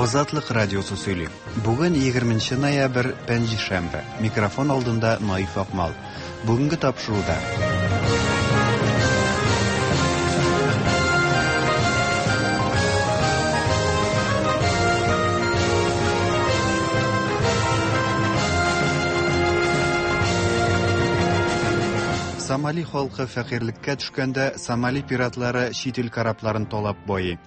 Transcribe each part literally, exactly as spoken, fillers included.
Азатлык радиосы сөйли. Бүген егерменче ноябрь, пәнҗешәмбе. Микрофон алдында Наиф Акмал. Бүгенге тапшыруда. Сомали халкы фәкыйрьлеккә төшкәндә, Сомали пиратлары чит ил корабларын талап байый.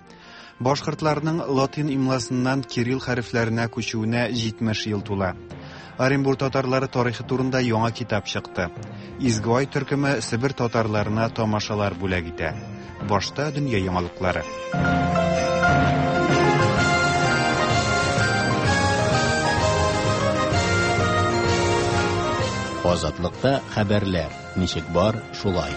Башкортларның латин имласыннан кирилл хәрефләренә күчүенә җитмеш ел тула. Оренбур татарлары тарихы турында яңа китап чыкты. Изге ай төркеме Себер татарларына тамашалар бүләк итә. Башта дөнья яңалыклары. Азатлыкта хәбәрләр ничек бар, шулай.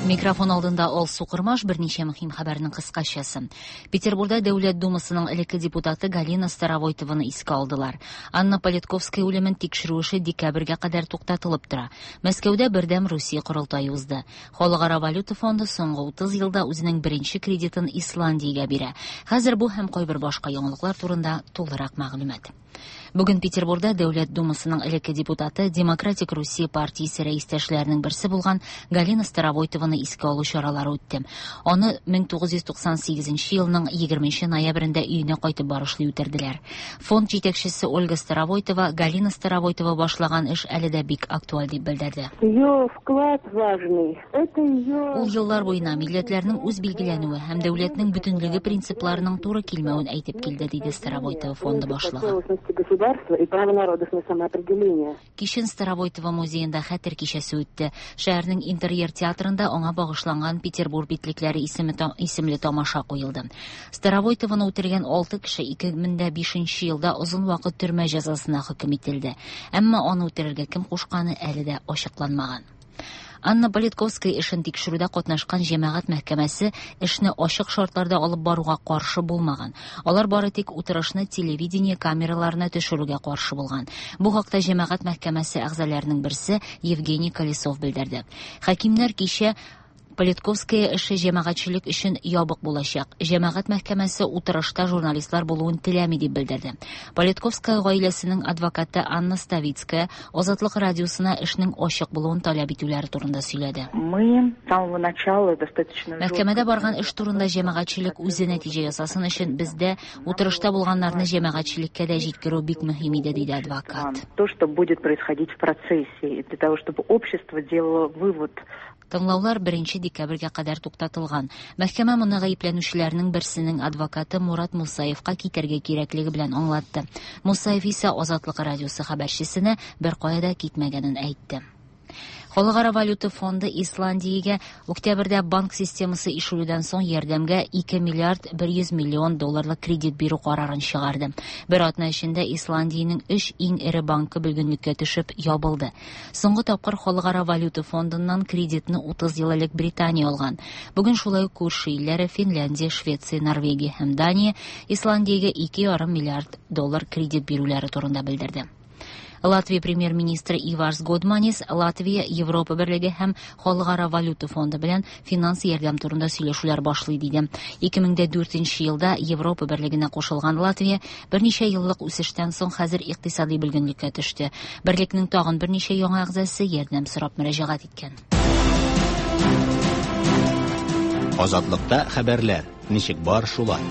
Микрофон алдында Алсу Кырмаш, берничә мөһим хәбәрнең кыскачасы. Петербурда Дәүләт Думасының элекке депутаты Галина Старовойтованы искә алдылар. Анна Политковская үлемен тикшерү эше декабрьгә кадәр туктатылып тора. Мәскәүдә Бердәм Русия корылтае узды. Халыкара валюта фонды соңгы утыз елда үзенең беренче кредитын Исландиягә бирә. Хәзер бу һәм кайбер башка яңалыклар турында тулырак мәгълүмат. Бүген Петербурда Дәүләт Думасының элекке депутаты, Демократик Русия партиясе рәистәшләренең берсе булган Галина Старовойтованы искә алу чаралары үтте. Аны мең тугыз йөз туксан сигезенче елның егерменче ноябрендә өенә кайтып барышлый үтерделәр. Фонд җитәкчесе Ольга Старовойтова Галина Старовойтова башлаган эш әле дә бик актуаль дип белдерде. Ее вклад важный. Это ее Ул еллар буена милләтләрнең үз билгеләнүе һәм дәүләтнең бөтенлеге принципларының туры килмәвен әйтеп килде, диде Старовойтова фонды башлыгы. Государства и право народов на самоопределение. Кичен Старовойтова музеенда хәтер кичәсе үтте. Шәһәрнең интерьер театрында аңа багышланган Петербург битлекләре исеме та-, исемле тамаша куелды. Старовойтованы үтергән алты кеше ике мең дә бишенче елда озын вакыт төрмә җәзасына хөкем ителде. Әмма аны үтерергә кем кушканы әле дә ачыкланмаган. Анна Политковская эшен тикшерүдә катнашкан җәмәгать мәхкәмәсе эшне ачык шартларда алып баруга каршы булмаган. Алар бары тик утырышны телевидение камераларына төшерүгә каршы булган. Бу хакта җәмәгать мәхкәмәсе әгъзаларының берсе Евгений Колесов белдерде. Хакимнәр кичә Политковская эше җәмәгатьчелек өчен ябык булачак. Җәмәгать мәхкәмәсе утырышта журналистлар булуын теләми дип белдерде. Политковская гаиләсенең адвокаты Анна Ставицкая Азатлык радиосына эшнең ачык булуын таләп итүләре турында сөйләде. Мы с самого начала достаточно Мәхкәмәдә барган эш турында җәмәгатьчелек үзе нәтиҗә ясасын өчен бездә утырышта булганнарны җәмәгатьчелеккә дә җиткерү бик мөһим иде, диде адвокат. То, что будет происходить в процессе, и для того, чтобы общество делало вывод. Тыңлаулар беренче декабрьгә кадәр туктатылган. Мәхкәмә моны гаепләнүчеләрнең берсенең адвокаты Мурат Мусаевка китәргә кирәклеге белән аңлатты. Мусаев исә Азатлык радиосы хәбәрчесенә бер кая да китмәгәнен әйтте. Халыкара валюта фонды Исландиягә октябрьдә банк системасы ишелүдән соң ярдәмгә ике миллиард бер йөз миллион долларлык кредит бирү карарын чыгарды. Бер атна эчендә Исландиянең өч иң эре банкы бөлгенлеккә төшеп ябылды. Соңгы тапкыр Халыкара валюта фондыннан кредитны утыз ел элек Британия алган. Бүген шулай ук күрше илләре Финляндия, Швеция, Норвегия һәм Дания Исландиягә ике ярым миллиард доллар кредит бирүләре турында белдерде. Латвия премьер-министры Иварс Годманис Латвия, Европа Берлеге һәм Халыкара валюта фонды белән финанс ярдәм турында сөйләшүләр башлый диде. Ике мең дә дүртенче елда Европа Берлегенә кушылган Латвия берничә еллык үсештән соң хәзер икътисади бөлгенлеккә төште. Берлекнең тагын берничә яңа әгъзасы ярдәм сорап мөрәҗәгать иткән. Азатлыкта хәбәрләр ничек бар шулай.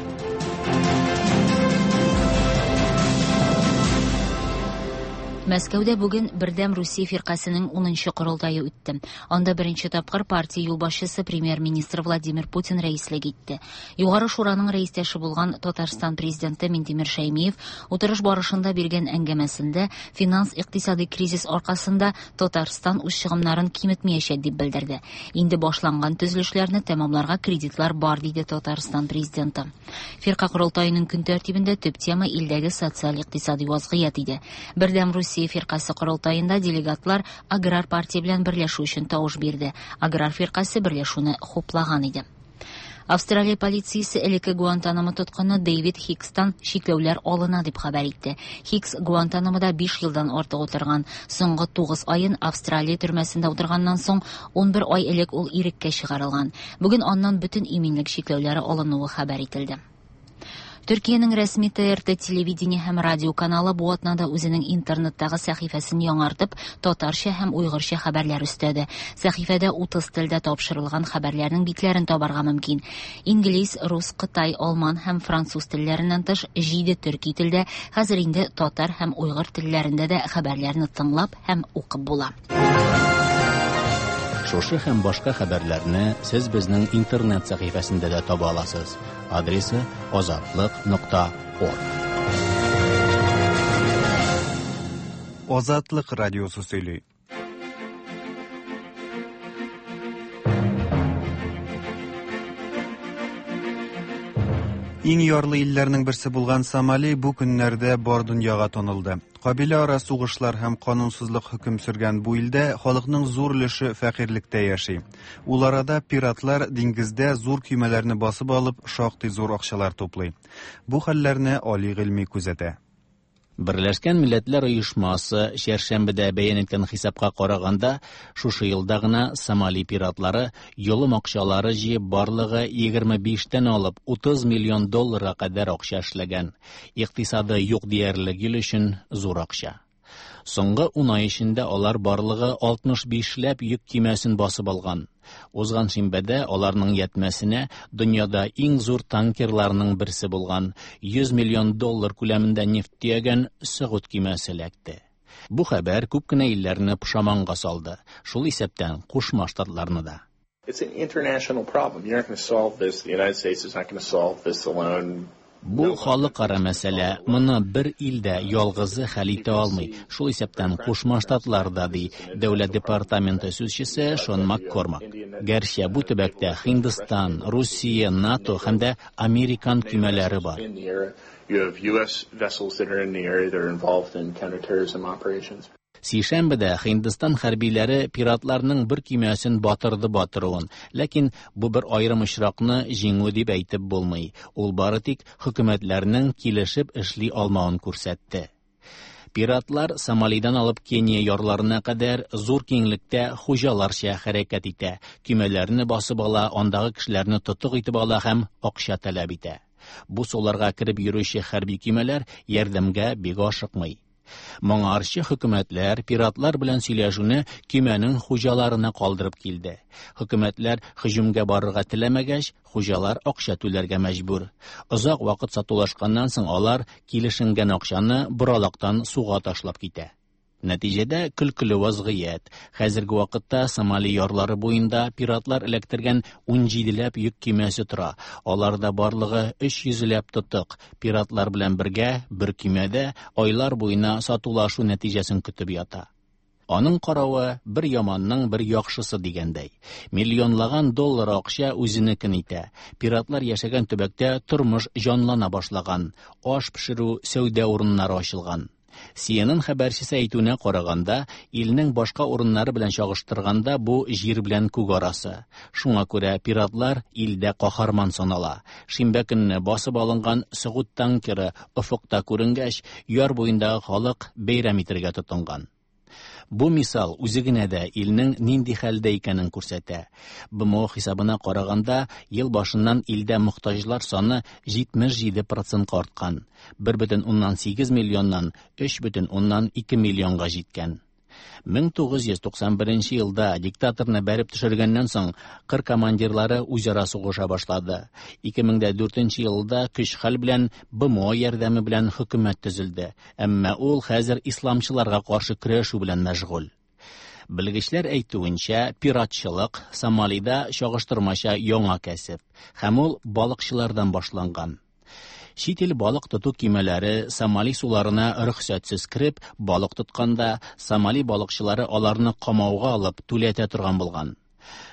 Мәскәүдә бүген Бердәм Русия фиркасының унынчы корылтае үтте. Анда беренче тапкыр партия юлбашчысы премьер-министр Владимир Путин рәислек итте. Югары шураның рәистәше булган Татарстан президенты Минтимер Шәймиев утырыш барышында биргән әңгәмәсендә финанс-икътисади кризис аркасында Татарстан үз чыгымнарын киметмәячәк дип белдерде. Инде башланган төзелешләрне тәмамларга кредитлар бар, диде Татарстан президенты. Фирка корылтаеның көн тәртибендә төп тема илдәге социаль-икътисади вазгыять иде. Бердәм Русия фиркасы корылтаенда делегатлар Аграр партия белән берләшү өчен тавыш бирде. Аграр фиркасы берләшүне хуплаган иде. Австралия полициясе элекке Гуантанамо тоткыны Дэвид Хикстан чикләүләр алына дип хәбәр итте. Хикс Гуантанамода биш елдан артык утырган. Соңгы тугыз аен Австралия төрмәсендә утырганнан соң ун бер ай элек ул иреккә чыгарылган. Бүген аннан бөтен иминлек чикләүләре алынуы хәбәр ителде. Төркиянең рәсми Т Р Т телевидение һәм радио каналы бу атнада үзенең интернеттагы сәхифәсен яңартып, татарча һәм уйгырча хәбәрләр өстәде. Сәхифәдә утыз телдә тапшырылган хәбәрләрнең битләрен табарга мөмкин. Инглиз, рус, кытай, алман һәм француз телләреннән тыш, җиде төрки телдә, хәзер инде татар һәм уйгыр телләрендә дә хәбәрләрне тыңлап һәм укып була. Шушы һәм башка хәбәрләрне сез безнең интернет сәхифәсендә дә таба аласыз. Адресы: азатлык нокта орг. Азатлык радиосы сөйли. Иң ярлы илләрнең берсе булган Сомали бу көннәрдә бар дөньяга танылды. Кабилә ара сугышлар һәм канунсызлык хөкем сөргән бу илдә халыкның зур өлеше фәкыйрьлектә яши. Ул арада пиратлар диңгездә зур көймәләрне басып алып, шактый зур акчалар туплый. Бу хәлләрне Али Гыйльми күзәтә. Берләшкән Милләтләр Оешмасы чәршәмбедә бәян иткән хисапка караганда, шушы елда гына Сомали пиратлары йолым акчалары җыеп барлыгы егерме биштән алып утыз миллион долларга кадәр акча эшләгән. Икътисады юк диярлек ил өчен зур акча. Соңгы ун ай эчендә алар барлыгы алтмыш биш ләп йөк көймәсен басып алган. Узган шимбәдә аларның ятмәсенә дөньяда иң зур танкерларның берсе булган йөз миллион доллар күләмендә нефть төягән Сөгуд көймәсе эләкте. Бу хәбәр күп кенә илләрне пошаманга салды, шул исәптән Кушма Штатларны да. It's an international problem. You're not going to solve this. The United States is not going to solve this alone. Бу халыкара мәсьәлә. Моны бер ил дә ялгызы хәл итә алмый. Шул исәптән Кушма Штатлар да, ди Дәүләт департаменты сүзчесе Шон Маккормак. Гәрчә бу төбәктә Һиндстан, Русия, НАТО һәм дә американ көймәләре бар. You have U S vessels that are in the area that are involved in counterterrorism operations. Сишәмбедә Һиндстан хәрбиләре пиратларның бер көймәсен батырды батыруын, ләкин бу бер аерым очракны җиңү дип әйтеп булмый. Ул бары тик хөкүмәтләрнең килешеп эшли алмавын күрсәтте. Пиратлар Сомалидан алып Кения ярларына кадәр зур киңлектә хуҗаларча хәрәкәт итә, көймәләрне басып ала, андагы кешеләрне тотык итеп ала һәм акча таләп итә. Бу суларга кереп йөрүче хәрби көймәләр ярдәмгә бик ашыкмый. Моңарчы хөкүмәтләр пиратлар белән сөйләшүне көймәнең хуҗаларына калдырып килде. Хөкүмәтләр һөҗүмгә барырга теләмәгәч, хуҗалар акча түләргә мәҗбүр. Озак вакыт сатулашканнан соң алар килешенгән акчаны боралактан суга ташлап китә. Нәтиҗәдә көлкеле вазгыять. Хәзерге вакытта Сомали ярлары буенда пиратлар эләктергән унҗиделәп йөк көймәсе тора. Аларда барлыгы өч йөзләп тотык. Пиратлар белән бергә бер көймәдә айлар буена сатулашу нәтиҗәсен көтеп ята. Аның каравы, бер яманның бер яхшысы дигәндәй. Миллионлаган доллар акча үзенекен итә. Пиратлар яшәгән төбәктә тормыш җанлана башлаган. Аш пешерү, сәүдә урыннары ачылган. C N N хәбәрчесе әйтүенә караганда, илнең башка урыннары белән чагыштырганда бу җир белән күк арасы. Шуңа күрә пиратлар илдә каһарман санала. Шимбә көнне басып алынган Сөгуд танкеры офыкта күренгәч, яр буендагы халык бәйрәм итәргә тотынган. Бу мисал үзе генә дә илнең нинди хәлдә икәнен күрсәтә. Б М О хисабына караганда, ел башыннан илдә мохтаҗлар саны җитмеш җиде процентка арткан. бер бөтен уннан сигез миллионнан өч бөтен уннан ике миллионга җиткән. мең тугыз йөз туксан беренче елда диктаторны бәреп төшергәннән соң кыр командирлары үзара сугыша башлады. ике мең дүртенче елда көч-хәл белән Б М О ярдәме белән хөкүмәт төзелде. Әмма ул хәзер исламчыларга каршы көрәшү белән мәшгуль. Белгечләр әйтүенчә, пиратчылык Сомалида чагыштырмача яңа кәсеп һәм ул балыкчылардан башланган. Чит ил балык тоту көймәләре Сомали суларына рөхсәтсез кереп, балык тотканда, Сомали балыкчылары аларны камауга алып түләтә торган булган.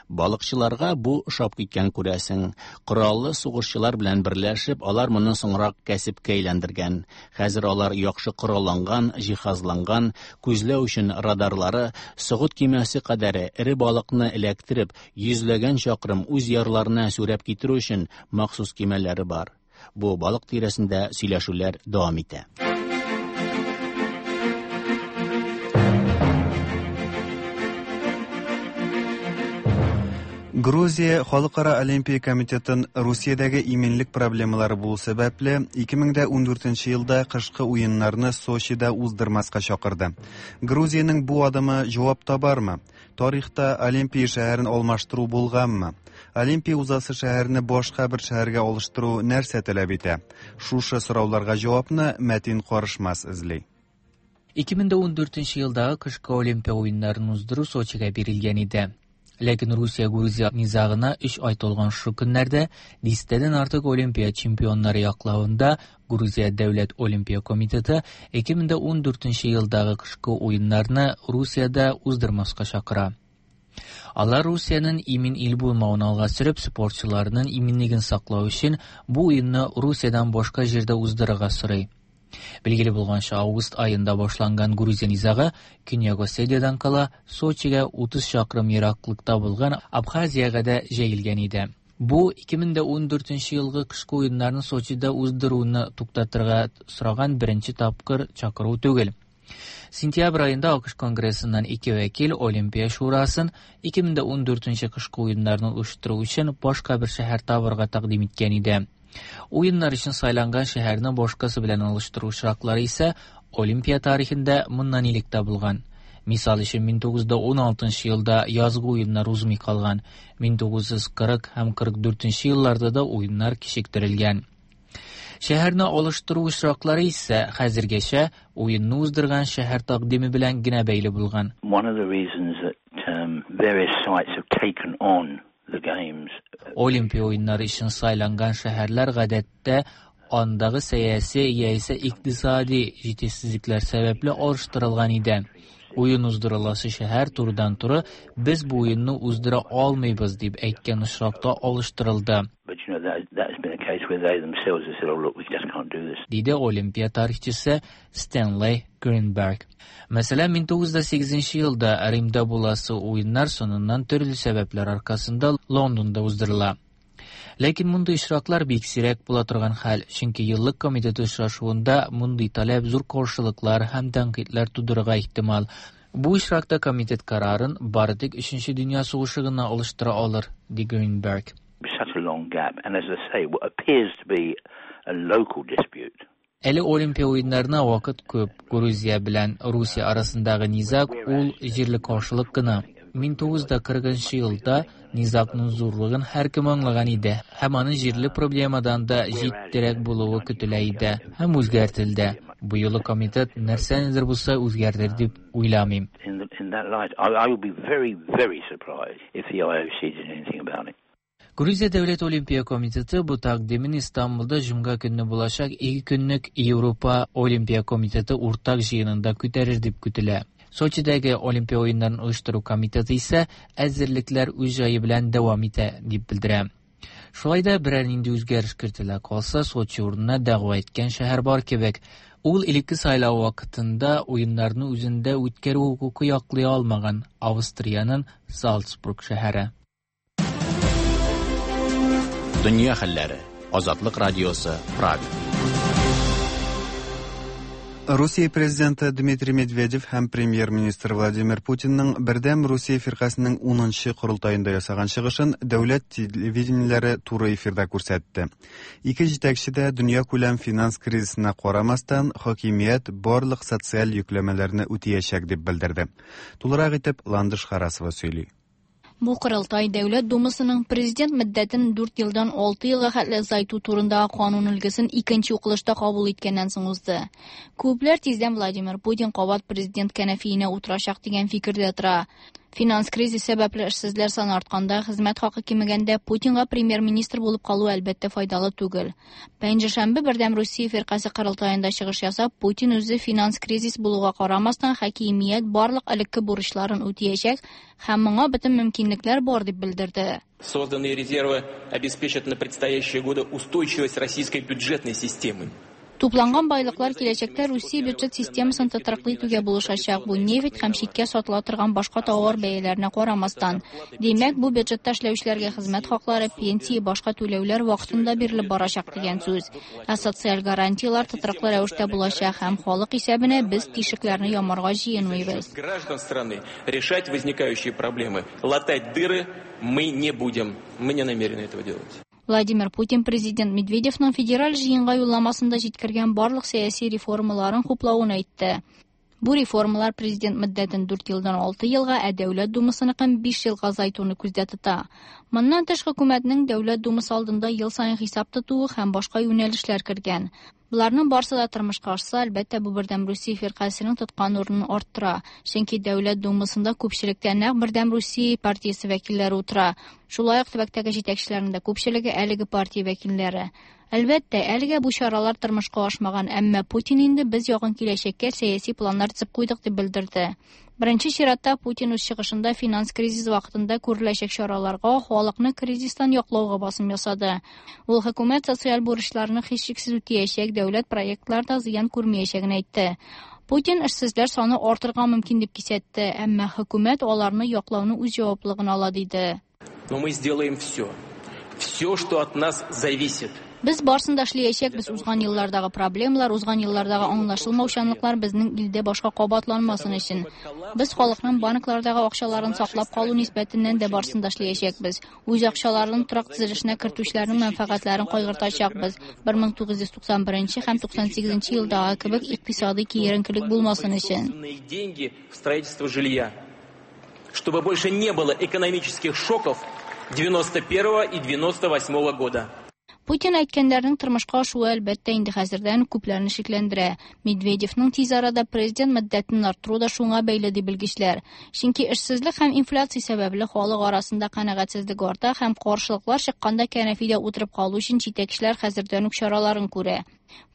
Балыкчыларга бу ошап киткән, күрәсең. Кораллы сугышчылар белән берләшеп, алар моны соңрак кәсепкә әйләндергән. Хәзер алар яхшы коралланган, җиһазланган, күзләү өчен радарлары, Согуд көймәсе кадәре эре балыкны эләктереп, йөзләгән чакрым үз ярларына сүрәп китерү өчен махсус көймәләре бар. Бу балык тирәсендә сөйләшүләр дәвам итә. Грузия Халыкара Олимпия комитетын Русиядәге иминлек проблемалары булу сәбәпле ике мең дә ундүртенче елда кышкы уеннарны Сочида уздырмаска чакырды. Грузиянең бу адымы җавап табармы? Тарихта Олимпия шәһәрен алмаштыру булганмы? Олимпия узасы шәһәрне башка бер шәһәргә алыштыру нәрсә таләп итә? Шушы сорауларга җавапны Мәтин Карышмас эзли. ике мең дә ундүртенче елдагы кышкы Олимпия уеннарын уздыру Сочига бирелгән иде. Ләкин Русия-Грузия низагына өч ай тулган шу көннәрдә дистәдән артык Олимпия чемпионнары яклавында Грузия Дәүләт Олимпия комитеты ике мең дә ундүртенче елдагы кышкы уеннарны Русиядә уздырмаска чакыра. Алар Русиянең имин ил булмавын алга сөреп, спортчыларның иминлеген саклау өчен бу уенны Русиядән башка җирдә уздырырга сорый. Билгеле булганча, август аенда башланган Грузия низагы Көньяк Осетиядан кала Сочига утыз чакрым ераклыкта булган Абхазиягә дә җәелгән иде. Бу ике мең дә ундүртенче елгы кышкы уеннарны Сочида уздыруны туктатырга сораган беренче тапкыр чакыру түгел. Сентябрь аенда АКШ Конгрессыннан ике вәкил Олимпия шурасын ике мең дә ундүртенче кышкы уеннарны оештыру өчен башка бер шәһәр табырга тәкъдим иткән иде. Уеннар өчен сайланган шәһәрне башкасы белән алыштыру очраклары исә Олимпия тарихында моннан элек тә булган. Мисал өчен, мең тугыз йөз уналтынчы елда язгы уеннар узмый калган, мең тугыз йөз кырык һәм кырык дүртенче елларда да уеннар кичектерелгән. Шәһәрне алыштыру очраклары исә хәзергәчә уенны уздырган шәһәр тәкъдиме белән генә бәйле булган. One of the reasons that, um, various sites have taken on the games. Олимпия уеннары өчен сайланган шәһәрләр гадәттә андагы сәяси яисә икътисади җитешсезлекләр сәбәпле алыштырылган иде. Уен уздырыласы шәһәр турыдан-туры без бу уенны уздыра алмыйбыз дип әйткән очракта алыштырылды. But you know that, that has been a case where they themselves have said, oh look, we just can't do this. Диде Олимпия тарихчысы Стэнли Гринберг. Мәсәлән, мең тугыз йөз сигезенче елда Римда буласы уеннар соңыннан төрле сәбәпләр аркасында Лондонда уздырыла. Ләкин мондый очраклар бик сирәк була торган хәл, чөнки еллык комитет очрашуында мондый таләп зур каршылыклар һәм тәнкыйтьләр тудырырга ихтимал. Бу очракта комитет карарын бары тик Өченче дөнья сугышы гына алыштыра алыр, ди Гринберг. Such a long gap, and as I say, what appears to be a local dispute. Әле Олимпия уеннарына вакыт күп. Грузия белән Русия арасындагы низаг ул җирле каршылык кына. Мең тугыз йөз кырыгынчы елда низагның зурлыгын һәркем аңлаган иде һәм аның җирле проблемадан да җитдирәк булуы көтелә иде һәм үзгәртелде. Бу юлы комитет нәрсәнедер булса үзгәртер дип уйламыйм. In the, in that light, I, I would be very, very surprised if the I O C did anything about it. Грузия Дәүләт Олимпия комитеты бу тәкъдимен Истанбулда җомга көнне булачак ике көнлек Европа Олимпия комитеты уртак җыенында күтәрер дип көтелә. Сочидәге Олимпия уеннарын оештыру комитеты исә әзерлекләр үз җае белән дәвам итә дип белдерә. Шулай да берәр нинди үзгәреш кертелә калса, Сочи урынына дәгъва иткән шәһәр бар кебек. Ул элекке сайлау вакытында уеннарны үзендә үткәрү хокукы яклый алмаган Австриянең Салцбург шәһәре. Дөнья хәлләре. Азатлык радиосы, Прага. Русия президенты Дмитрий Медведев һәм премьер-министр Владимир Путинның Бердәм Русия фиркасының унынчы корылтаенда ясаган чыгышын дәүләт телевидениеләре туры эфирда күрсәтте. Ике җитәкче дә дөньякүләм финанс кризисына карамастан, хакимият барлык социаль йөкләмәләрне үтәячәк дип белдерде. Тулырак итеп Ландыш Харасова сөйли. Бу корылтай Дәүләт Думасының президент мөддәтен дүрт елдан алты елга хәтле озайту турындагы канун өлгесен икенче укылышта кабул иткәннән соң узды. Күпләр тиздән Владимир Путин кабат президент кәнәфиенә утырачак дигән фикердә тора. Финанс кризис сәбәпле эшсезләр саны артканда, хезмәт хакы кимегәндә Путинга премьер-министр булып калу әлбәттә файдалы түгел. Пәнҗешәмбе Бердәм Русия фиркасе корылтаенда чыгыш ясап, Путин үзе финанс кризис булуга карамастан хакимият барлык элекке бурычларын үтәячәк һәм моңа бөтен мөмкинлекләр бар дип белдерде. Созданные резервы обеспечат на предстоящие годы устойчивость российской бюджетной системы. Тупланган байлыклар киләчәктә Русия бюджет системасын тотрыклы итүгә булышачак. Бу нефть һәм читкә сатыла торган башка товар бәяләренә карамастан. Димәк, бу бюджетта эшләүчеләргә хезмәт хаклары, пенсия, башка түләүләр вакытында бирелеп барачак дигән сүз. Ә социаль гарантияләр тотрыклы рәвештә булачак һәм халык исәбенә без тишекләрне ямарга җыенмыйбыз. Граждан страны решать возникающие проблемы, латать дыры мы не будем. Мы не намерены этого делать. Владимир Путин президент Медведевның федераль җыенга юлламасында җиткергән барлык сәяси реформаларын хуплавын әйтте. Бу реформалар президент мөддәтен дүрт елдан алты елга, ә Дәүләт Думасыныкын биш елга азайтуны күздә тота. Моннан тыш хөкүмәтнең Дәүләт Думасы алдында ел саен хисап тотуы һәм башка юнәлешләр кергән. Буларның барсы да тормышка ашса, әлбәттә, бу Бердәм Русия фиркасының тоткан урынын арттыра. Чөнки Дәүләт Думасында күпчелектә нәкъ Бердәм Русия партиясе вәкилләре утыра. Шулай ук төбәктәге җитәкчеләрнең дә күпчелеге әлеге партия вәкилләре. Әлбәттә, әлегә бу чаралар тормышка ашмаган, әмма Путин инде без якын киләчәккә сәяси планнар төзеп куйдык дип белдерде. Беренче чиратта Путин үз чыгышында финанс кризис вакытында күреләчәк чараларга, халыкны кризистан яклауга басым ясады. Ул хөкүмәт социаль бурычларны һичшиксез үтәячәк, дәүләт проектларда зыян күрмәячәген әйтте. Путин эшсезләр саны артырга мөмкин дип кисәтте, әмма хөкүмәт аларны яклауны үз җаваплылыгына ала диде. Но мы сделаем все. Все, что от нас зависит. Без барсын да эшләячәкбез. Узган еллардагы проблемалар, узган еллардагы аңлашылмаучанлыклар безнең илдә башка кабатланмасын өчен. Без халыкның банклардагы акчаларын саклап калу нисбәтеннән дә барсын да эшләячәкбез. Үз акчаларын торак төзелешенә кертүчеләрнең мәнфәгатьләрен кайгыртачакбыз. бер мең тугыз йөз туксан беренче һәм туксан сигезенче елдагы кебек икътисади киеренкелек булмасын өчен. Деньги в строительство жилья, чтобы больше не было экономических шоков девяносто первого и девяносто восьмого года. Путин әйткәннәрнең тормышка ашуы әлбәттә инде хәзердән күпләрне шикләндерә. Медведевның тиз арада президент мөддәтен арттыру да шуңа бәйле ди белгечләр. Чөнки эшсезлек һәм инфляция сәбәпле халык арасында канәгатьсезлек арта һәм каршылыклар чыкканда кәнәфидә утырып калу өчен җитәкчеләр хәзердән үк чараларын күрә.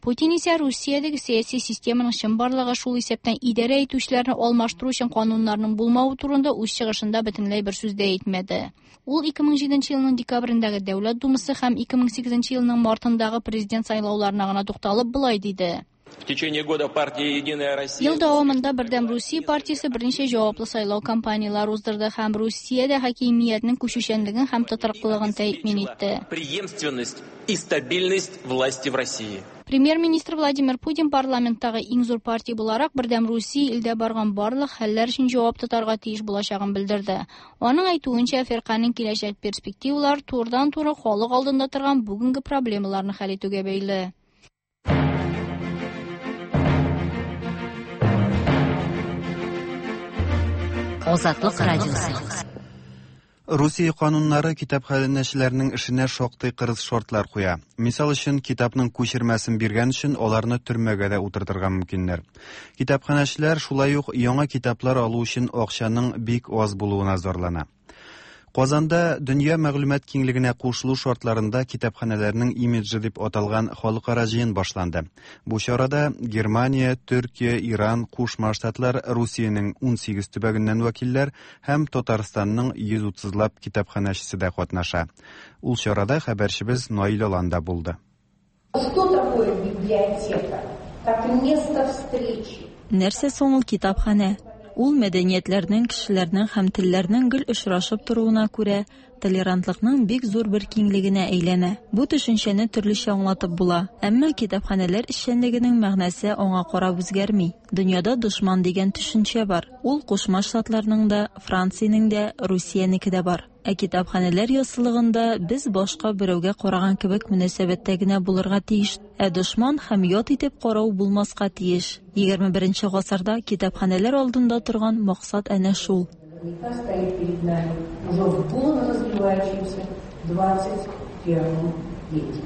Путин исә Русиядәге сәяси системаның чынбарлыгы, шул исәптән идарә итүчеләрне алмаштыру өчен кануннарның булмавы турында үз чыгышында бөтенләй бер сүз дә әйтмәде. Ул ике мең җиденче елның декабрендәге Дәүләт Думасы һәм ике мең сигезенче елның мартындагы президент сайлауларына гына тукталып болай диде. В течение года партия «Единая Россия» Ел дәвамында Бердәм Русия партиясе берничә җаваплы сайлау кампанияләре уздырды һәм Русиядә хакимиятнең күчүчәнлеген һәм тотрыклылыгын тәэмин итте. Преемственность и стабильность власти в России. Премьер-министр Владимир Путин парламенттагы иң зур партия буларак Бердәм Русия илдә барган барлык хәлләр өчен җавап тотарга тиеш булачагын белдерде. Аның әйтүенчә, фирканең киләчәк перспективалары турыдан-туры халык алдында торган бүгенге проблемаларны хәл итүгә бәйле. Азатлык радиосы. Русия кануннары китапханәчеләрнең эшенә шактый кырыс шартлар куя. Мисал өчен, китапның күчермәсен биргән өчен аларны төрмәгә дә утыртырга мөмкиннәр. Китапханәчеләр шулай ук яңа китаплар алу өчен акчаның бик аз булуына зарлана. Казанда дөнья мәгълүмат киңлегенә кушылу шартларында китапханәләрнең имиджы дип аталган халыкара җыен башланды. Бу чарада Германия, Төркия, Иран, Кушма Штатлар, Русиянең ун сигез төбәгеннән вәкилләр һәм Татарстанның йөз утызлап китапханәчесе дә катнаша. Ул чарада хәбәрчебез Наил Аланда булды. Что такое библиотека? Как место встречи. Нәрсә соң ул китапханә? Ул мәдәниятләрнең, кешеләрнең һәм телләрнең гел очрашып торуына күрә, толерантлыкның бик зур бер киңлегенә әйләнә. Бу төшенчәне төрлечә аңлатып була, әмма китапханәләр эшчәнлегенең мәгънәсе аңа карап үзгәрми. Дөньяда дошман дигән төшенчә бар. Ул Кушма Штатларның да, Франциянең дә, Русиянеке дә бар. Ә китапханәләр яссылыгында без башка берәүгә караган кебек мөнәсәбәттә генә булырга тиеш, ә дошман һәм ят итеп карау булмаска тиеш. Егерме беренче гасырда китапханәләр алдында торган максат әнә шул. Стоит перед нами уже в бурно развивающемся двадцать первом веке.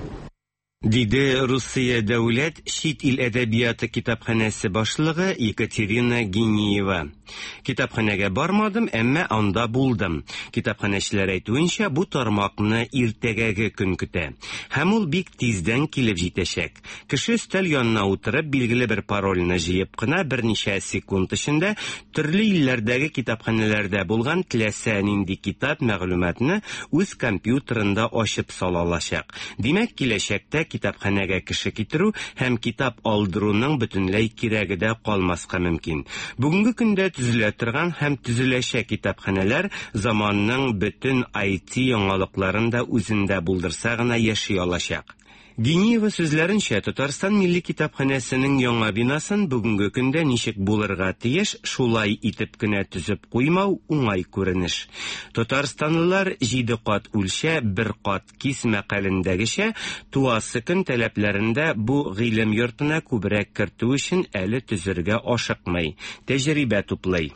Диде Русия дәүләт чит ил әдәбияты китапханәсе башлыгы Екатерина Гениева. Китапханәгә бармадым, әмма анда булдым. Китапханәчеләр әйтүенчә, бу тармакны иртәгәге көн көтә. Һәм ул бик тиздән килеп җитәчәк. Кеше өстәл янына утырып, билгеле бер парольне җыеп кына берничә секунд эчендә төрле илләрдәге китапханәләрдә булган теләсә нинди китап мәгълүматны үз компьютерында ачып сала алачак. Димәк, киләчәктә китапханәгә кеше китерү һәм китап алдыруның бөтенләй кирәге дә калмаска мөмкин. Бүгенге көндә төзелә торган һәм төзеләчәк китапханәләр заманның бөтен ай ти яңалыкларын да үзендә булдырса гына яши алачак. Гениева сүзләренчә, Татарстан Милли китапханәсенең яңа бинасын бүгенге көндә ничек булырга тиеш, шулай итеп кенә төзеп куймау уңай күренеш. Татарстанлылар җиде кат үлчә, бер кат кис мәкалендәгечә, туасы көн таләпләрендә бу гыйлем йортына күбрәк кертү өчен әле төзергә ашыкмый, тәҗрибә туплый.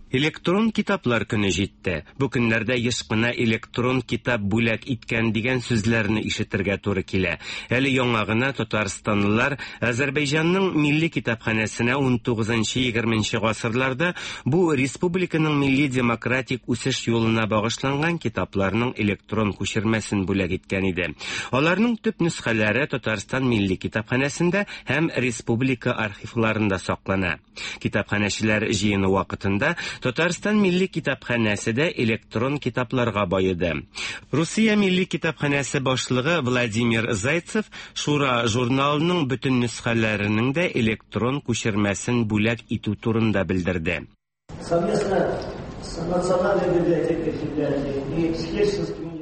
Электрон китаплар көне җитте. Бу көннәрдә еш кына электрон китап бүләк иткән дигән сүзләрне ишетергә туры килә. Әле яңа гына татарстанлылар Азәрбайҗанның милли китапханәсенә ун тугызынчы егерменче гасырларда бу республиканың милли демократик үсеш юлына багышланган китапларның электрон күчермәсен бүләк иткән иде. Аларның төп нөсхәләре Татарстан милли китапханәсендә һәм республика архивларында саклана. Китапханәчеләр җыены вакытында Татарстан Милли китапханәсе дә электрон китапларга байыды. Русия Милли китапханәсе башлыгы Владимир Зайцев Шура журналының бөтен нөсхәләренең дә электрон күчермәсен бүләк итү турында белдерде. Совместно с Национальной библиотекой Финляндии и с Хельсинским университетом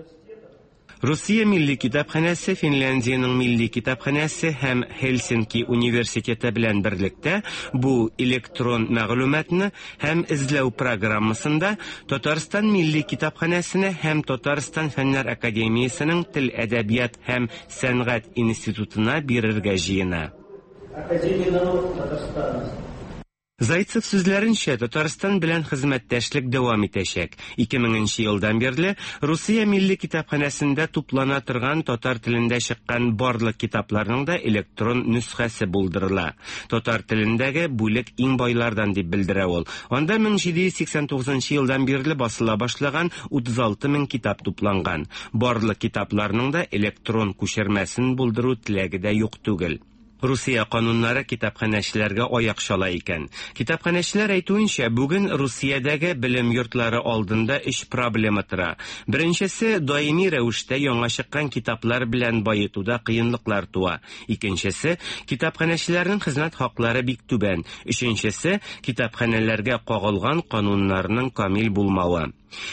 Русия Милли китапханәсе, Финляндиянең Милли китапханәсе һәм Хельсинки университеты белән берлектә бу электрон мәгълүматны һәм эзләү программасында Татарстан Милли китапханәсенә һәм Татарстан Фәннәр академиясенең тел, әдәбият һәм сәнгать институтына бирергә җыена. Академия наук Татарстана. Зайцев сүзләренчә, Татарстан белән хезмәттәшлек дәвам итәчәк. ике меңенче елдан бирле Русия Милли китапханәсендә туплана торган татар телендә чыккан барлык китапларның да электрон нөсхәсе булдырыла. Татар телендәге бүлек иң байлардан дип белдерә ул. Анда мең җиде йөз сиксән тугызынчы елдан бирле басыла башлаган утыз алты мең китап тупланган. Барлык китапларның да электрон күчермәсен булдыру теләге дә юк түгел. Русия кануннары китапханәчеләргә аяк чала икән. Китапханәчеләр әйтүенчә, бүген Русиядәге белем йортлары алдында өч проблема тора. Беренчесе, даими рәвештә яңа чыккан китаплар белән баетуда кыенлыклар туа. Икенчесе, китапханәчеләрнең хезмәт хаклары бик түбән. Өченчесе, китапханәләргә кагылган кануннарның камил булмавы.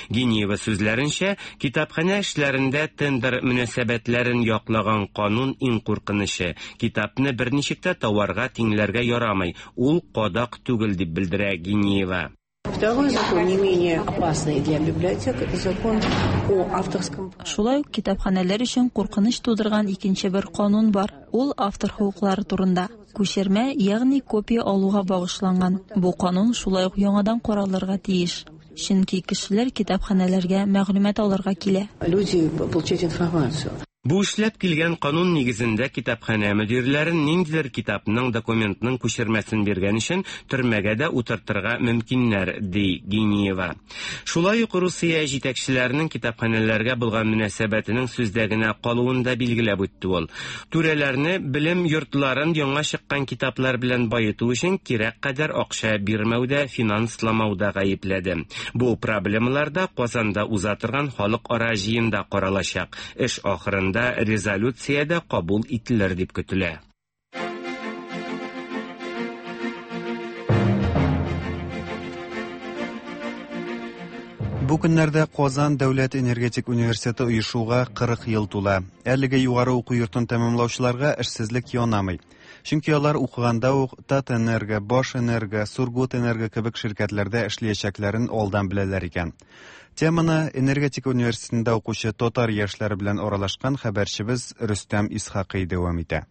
Гениева сүзләренчә, китапханә эшләрендә тендер мөнәсәбәтләрен яклаган канун иң куркынычы. Китапны берничек тә тауарга тиңләргә ярамый, ул кадак түгел дип белдерә Гениева. Второй закон, не менее опасный для библиотек, это закон о авторском праве. Шулай ук китапханәләр өчен куркыныч тудырган икенче бер канун бар. Ул автор хокуклары турында. Күчермә, ягъни копия алуга багышланган. Бу канун шулай ук яңадан каралырга тиеш. Чөнки кешеләр китапханәләргә мәгълүмат алырга килә. Люди получать информацию. Бу эшләп килгән канун нигезендә китапханә мөдирләрен ниндидер китапның, документның күчермәсен биргән өчен төрмәгә дә утыртырга мөмкиннәр, ди Гениева. Шулай ук Русия җитәкчеләренең китапханәләргә булган мөнәсәбәтенең сүздә генә калуын да билгеләп үтте ул. Түрәләрне белем йортларын яңа чыккан китаплар белән баету өчен кирәк кадәр акча бирмәүдә, финансламауда гаепләде. Бу проблемалар да Казанда уза торган халыкара җыенда каралачак. Эш ахырында резолюциядә кабул ителер дип көтелә. Бу көннәрдә Казан дәүләт энергетик университеты оешуга кырык ел тула. Әлеге югары уку йортын тәмамлаучыларга эшсезлек янамый. Чөнки алар укыганда ук Татэнерго, Башэнерго, Сургутэнерго кебек ширкәтләрдә эшләячәкләрен алдан беләләр икән. Теманы энергетика университетында укучы татар яшьләре белән аралашкан хәбәрчебез Рөстәм Исхакый дәвам итә.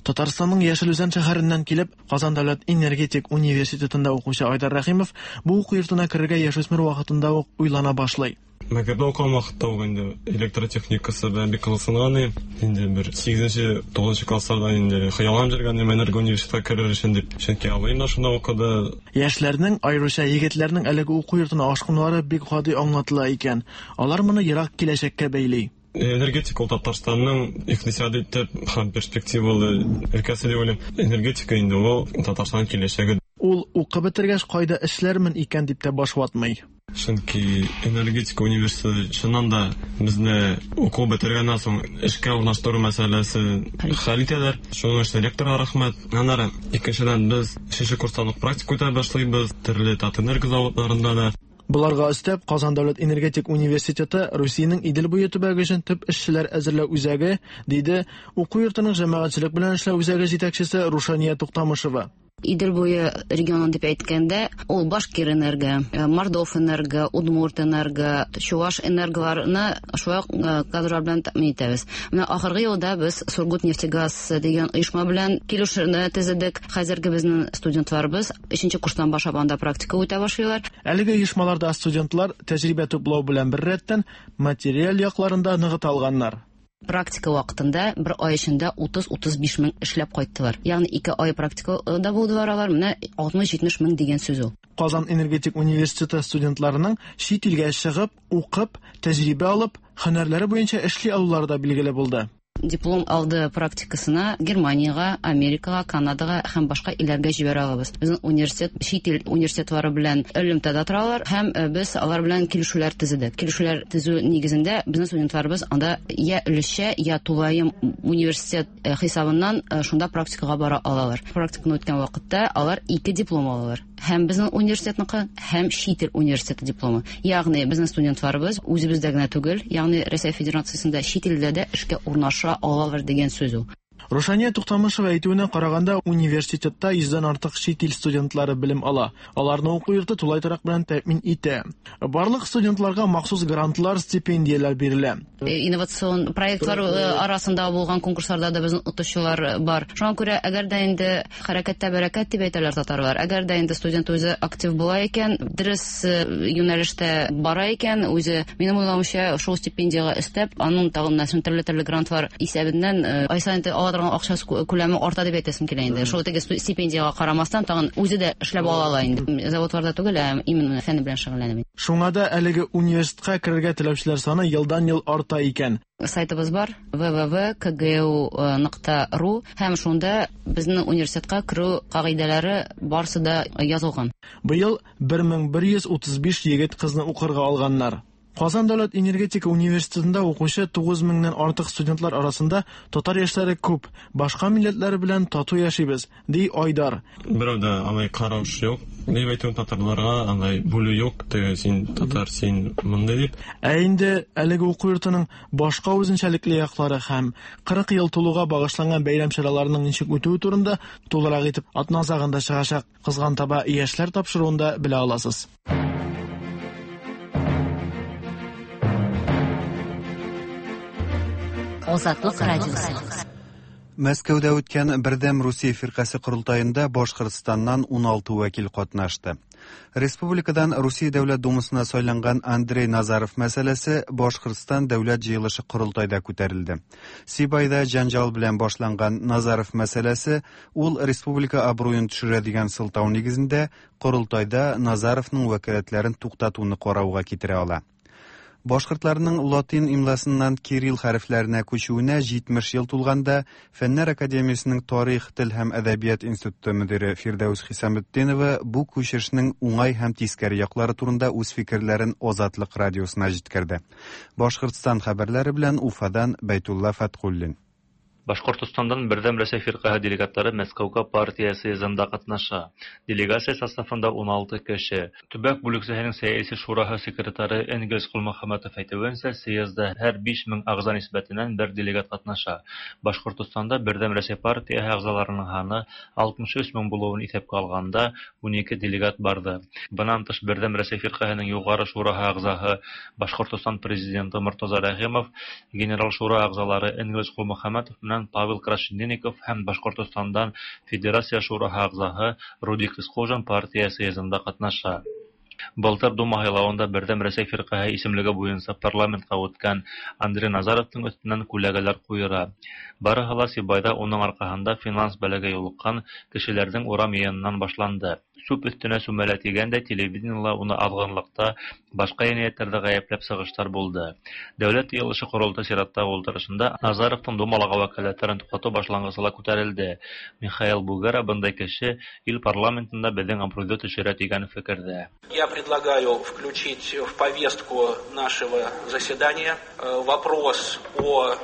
Татарстанның Яшел Үзән шәһәреннән килеп, Казан дәүләт энергетик университетында укучы Айдар Рәхимов бу уку йортына керергә яшүсмер вакытында ук уйлана башлый. Мәктәптә укыган вакытта ук инде электротехникасы белән бик кызыксынган идем. Инде бер сигезенче, тугызынчы классларда инде хыялланып йөргән идем энерго университетка керер өчен дип. Чөнки абыем да шунда укыды. Яшьләрнең, аеруча егетләрнең әлеге уку йортына ашкынулары бик гади аңлатыла икән. Алар моны ерак киләчәккә бәйли. Энергетика ул Татарстанның икътисади төп һәм перспективалы өлкәсе дип уйлыйм. Энергетика инде ул Татарстан киләчәге. Ул укып бетергәч кайда эшләрмен икән дип тә баш ватмый. Чөнки энергетика университеты чыннан да безне уку бетергәннән соң эшкә урнаштыру мәсьәләсе хәл итәләр. Шуның өчен ректорга рәхмәт. Аннары икенчедән без өченче курстан ук практика үтә башлыйбыз, төрле Татэнерго заводларында да. Боларга өстәп, Казан дәүләт энергетик университеты Русиянең Идел буе төбәге өчен төп эшчеләр әзерләү үзәге, диде уку йортының җәмәгатьчелек белән эшләү үзәге җитәкчесе Рушания Туктамышева. Идел буе регионы дип әйткәндә, ул Башкир энерго, Мордов энерго, Удмурт энерго, Чуваш энерголарны шулай ук кадрлар белән тәэмин итәбез. Менә ахыргы елда без Сургут нефтегаз дигән оешма белән килешүне төзедек. Хәзерге безнең студентларыбыз өченче курстан башлап анда практика үтә башлыйлар. Әлеге оешмаларда студентлар тәҗрибә туплау белән беррәттән материаль якларын да ныгыта алганнар. Практика вакытында бер ай эчендә утыз-утыз биш мең эшләп кайттылар. Ягъни ике ай практикада булдылар алар, менә алтмыш-җитмеш мең дигән сүз ул. Казан энергетик университеты студентларының чит илгә чыгып, укып, тәҗрибә алып, һөнәрләре буенча эшли алулары да билгеле булды. Диплом алды практикасына Германиягә, Америкага, Канадага һәм башка илләргә җибәрә алабыз. Безнең университет чит ил университетлары белән элемтәдә торалар һәм без алар белән килешүләр төзедек. Килешүләр төзү нигезендә безнең студентларыбыз анда я өлешчә, я тулаем университет хисабыннан шунда практикага бара алалар. Практиканы үткән вакытта алар ике диплом алалар. Һәм безнең университетныкы, һәм чит ил университеты дипломы. Ягъни безнең студентларыбыз үзебездә генә түгел, ягъни Россия Федерациясендә чит илдә дә эшкә урнаша алалар дигән сүз ул. Рушания Туктамышева әйтүенә караганда, университетта йөздән артык чит ил студентлары белем ала. Аларны уку йорты тулай торак белән тәэмин итә. Барлык студентларга махсус грантлар, стипендияләр бирелә. Инновацион проектлар арасында булган конкурсларда да безнең отучылар бар. Шуңа күрә, әгәр дә инде хәрәкәттә бәрәкәт дип әйтәләр татарлар, әгәр дә инде студент үзе актив була икән, дөрес юнәлештә бара икән, үзе, минем уйлавымча, шул стипендиягә өстәп, аның тагын нәрсә төрле-төрле грантлар исәбеннән ай саен ала торган акчасы күләме арта дип әйтәсем килә инде. Шул теге стипендиягә карамастан, тагын үзе дә эшләп ала ала инде. Заводларда түгел, ә именно фән белән шөгыльләнә. Шуңа да әлеге университетка керергә теләүчеләр саны елдан-ел арта икән. Сайтыбыз бар вэ вэ вэ точка ка гэ у нокта ру һәм шунда безнең университетка керү кагыйдәләре барысы да язылган. Быел бер мең бер йөз утыз биш егет кызны укырга алганнар. Казан дәүләт энергетика университетында укучы тугыз меңнән артык студентлар арасында татар яшьләре күп, башка милләтләр белән тату яшибез, ди Айдар. Берәү дә алай караш юк, дип әйтү татарларга алай бүлү юк, теге син татар, син мондый дип. Ә инде әлеге уку йортының башка үзенчәлекле яклары һәм кырык ел тулуга багышланган бәйрәм чараларының ничек үтүе турында тулырак итеп атна азагында чыгачак Кызган таба яшьләр тапшыруында белә аласыз. Азатлык радиосы. Мәскәүдә үткән Бердәм Русия фиркасе корылтаенда Башкортстаннан ун алты вәкил катнашты. Республикадан Русия Дәүләт Думасына сайланган Андрей Назаров мәсьәләсе Башкортстан Дәүләт җыелышы корылтайда күтәрелде. Сибайда җанҗал белән башланган Назаров мәсьәләсе ул республика абруен төшерә дигән сылтау нигезендә корылтайда Назаровның вәкаләтләрен туктатуны карауга китерә ала. Башкортларның латин имласыннан кирилл хәрефләренә күчүенә җитмеш ел тулганда Фәннәр академиясенең тарих, тел һәм әдәбият институты мөдире Фирдәүс Хисаметдинова бу күчешнең уңай һәм тискәре яклары турында үз фикерләрен Азатлык радиосына җиткерде. Башкортстан хәбәрләре белән Уфадан Бәйтулла Фәтхуллин. Башкортостандан Бердәм Рәсәй фирҡәһе делегатлары Мәскәүгә партия съездында ҡатнаша. Делегация составында ун алты кеше. Төбәк бүлексәһенең сәяси шураһы секретары Энгельс Ҡолмөхәмәтов әйтеүенсә, съездда һәр биш мең ағза нисбәтенән бер делегат ҡатнаша. Башҡортостанда Бердәм Рәсәй партияһы ағзаларының һаны алтмыш өс мең булыуын иҫәпкә алғанда ун ике делегат барҙы. Бынан тыш Бердәм Рәсәй фирҡәһенең юғары шураһы ағзаһы Башҡортостан президенты Мортаза Рәхимов, генерал шура ағзалары Энгельс Ҡолмөхәмәтов Павел Крашенинников һәм Башҡортостандан Федерация шураһы ағзаһы Рудик Исҡужин партия съездында ҡатнаша. Былтыр Дума һайлауында Берҙәм Рәсәй фирҡәһе исемлеге буйынса парламентҡа үткән Андрей Назаровтың өҫтөнән күләгәләр ҡуйыра. Барыһы ла Сибайҙа уның арҡаһында финанс бәләгә юлыҡҡан кешеләрҙең урам йыйынынан башланды. Сүп өҫтөнә сүмәлә тигәндә телевидениела уны аҙғынлыҡта, башҡа енәйәттәрҙә ғәйепләп сығыштар булды. Дәүләт йыйылышы ҡоролтай сираттағы ултырышында Назаровтың Думалағы вәкәләттәрен туҡтатыу башланғысы ла күтәрелде. Михаил Бугера бындай кеше ил парламентында беҙҙең абруйҙы төшөрә тигән фекерҙә. Я предлагаю включить в повестку нашего заседания вопрос о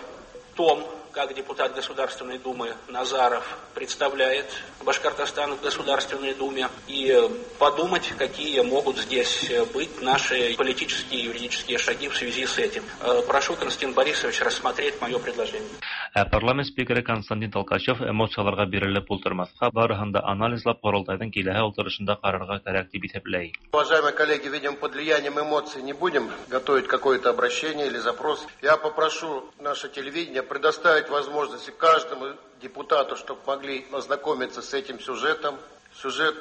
том, как депутат Государственной Думы Назаров представляет Башкортостан в Государственной Думе, и подумать, какие могут здесь быть наши политические и юридические шаги в связи с этим. Прошу, Константин Борисович, рассмотреть мое предложение. Ә парламент спикеры Константин Толкачев эмоцияларға бирелеп ултырмаҫҡа, барыһын да анализлап, ҡоролтайҙың киләһе ултырышында ҡарарға кәрәк тип иҫәпләй. Уважаемые коллеги, видимо, под влиянием эмоций не будем готовить какое-то обращение или запрос. Я попрошу наше телевидение предоставить возможность каждому депутату, чтобы могли ознакомиться с этим сюжетом. Сюжет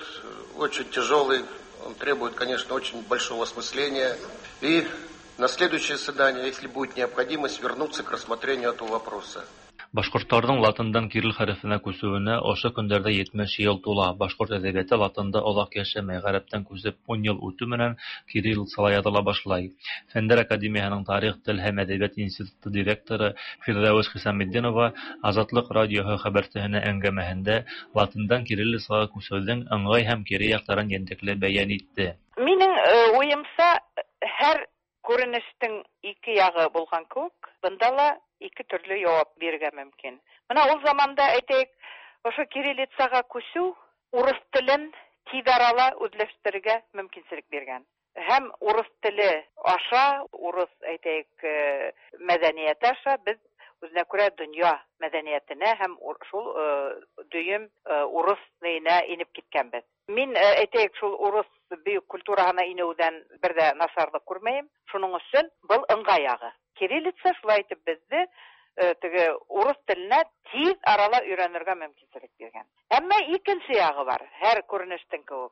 очень тяжелый, он требует, конечно, очень большого осмысления. И на следующее заседание, если будет необходимость, вернуться к рассмотрению этого вопроса. Башҡорттарҙың латындан кирилл хәрефенә күсеүенә ошо көндәрҙә етмеш йыл тула. Башҡорт әҙәбиәте латында оҙаҡ йәшәмәй, ғәрәптән күсеп ун йыл үтеү менән кириллицала яҙыла башлай. Фәндәр академияһының тарих, тел һәм әҙәбиәт институты директоры Фирҙәүес Хисаметдинова Азатлыҡ радиоһы хәбәрсеһенә әңгәмәһендә латындан кириллицаға күсеүҙең ыңғай һәм кире яҡтарын ентекле бәйән итте. Минең уйымса, һәр күренештең ике яғы булған кеүек, бында ла ике төрлө яуап бирергә мөмкин. Мына ул заманда, әйтәйек, ошо кириллицаға күсеү урыҫ телен тиҙ арала үҙләштерергә мөмкинселек биргән. Һәм урыҫ теле аша, урыҫ, әйтәйек, мәҙәниәте аша беҙ үҙенә күрә донъя мәҙәниәтенә һәм шул дөйөм урыҫ нейенә инеп киткәнбеҙ. Мин, әйтәйек, шул урыҫ бөйөк культураһына инеүҙән бер ҙә насарлыҡ күрмәйем. Шуның өсөн был ыңғай яғы. Кириллица шулай итеп беҙҙе теге урыҫ теленә тиҙ арала өйрәнергә мөмкинселек биргән. Әммә икенсе яғы бар, һәр күренештең кеүек.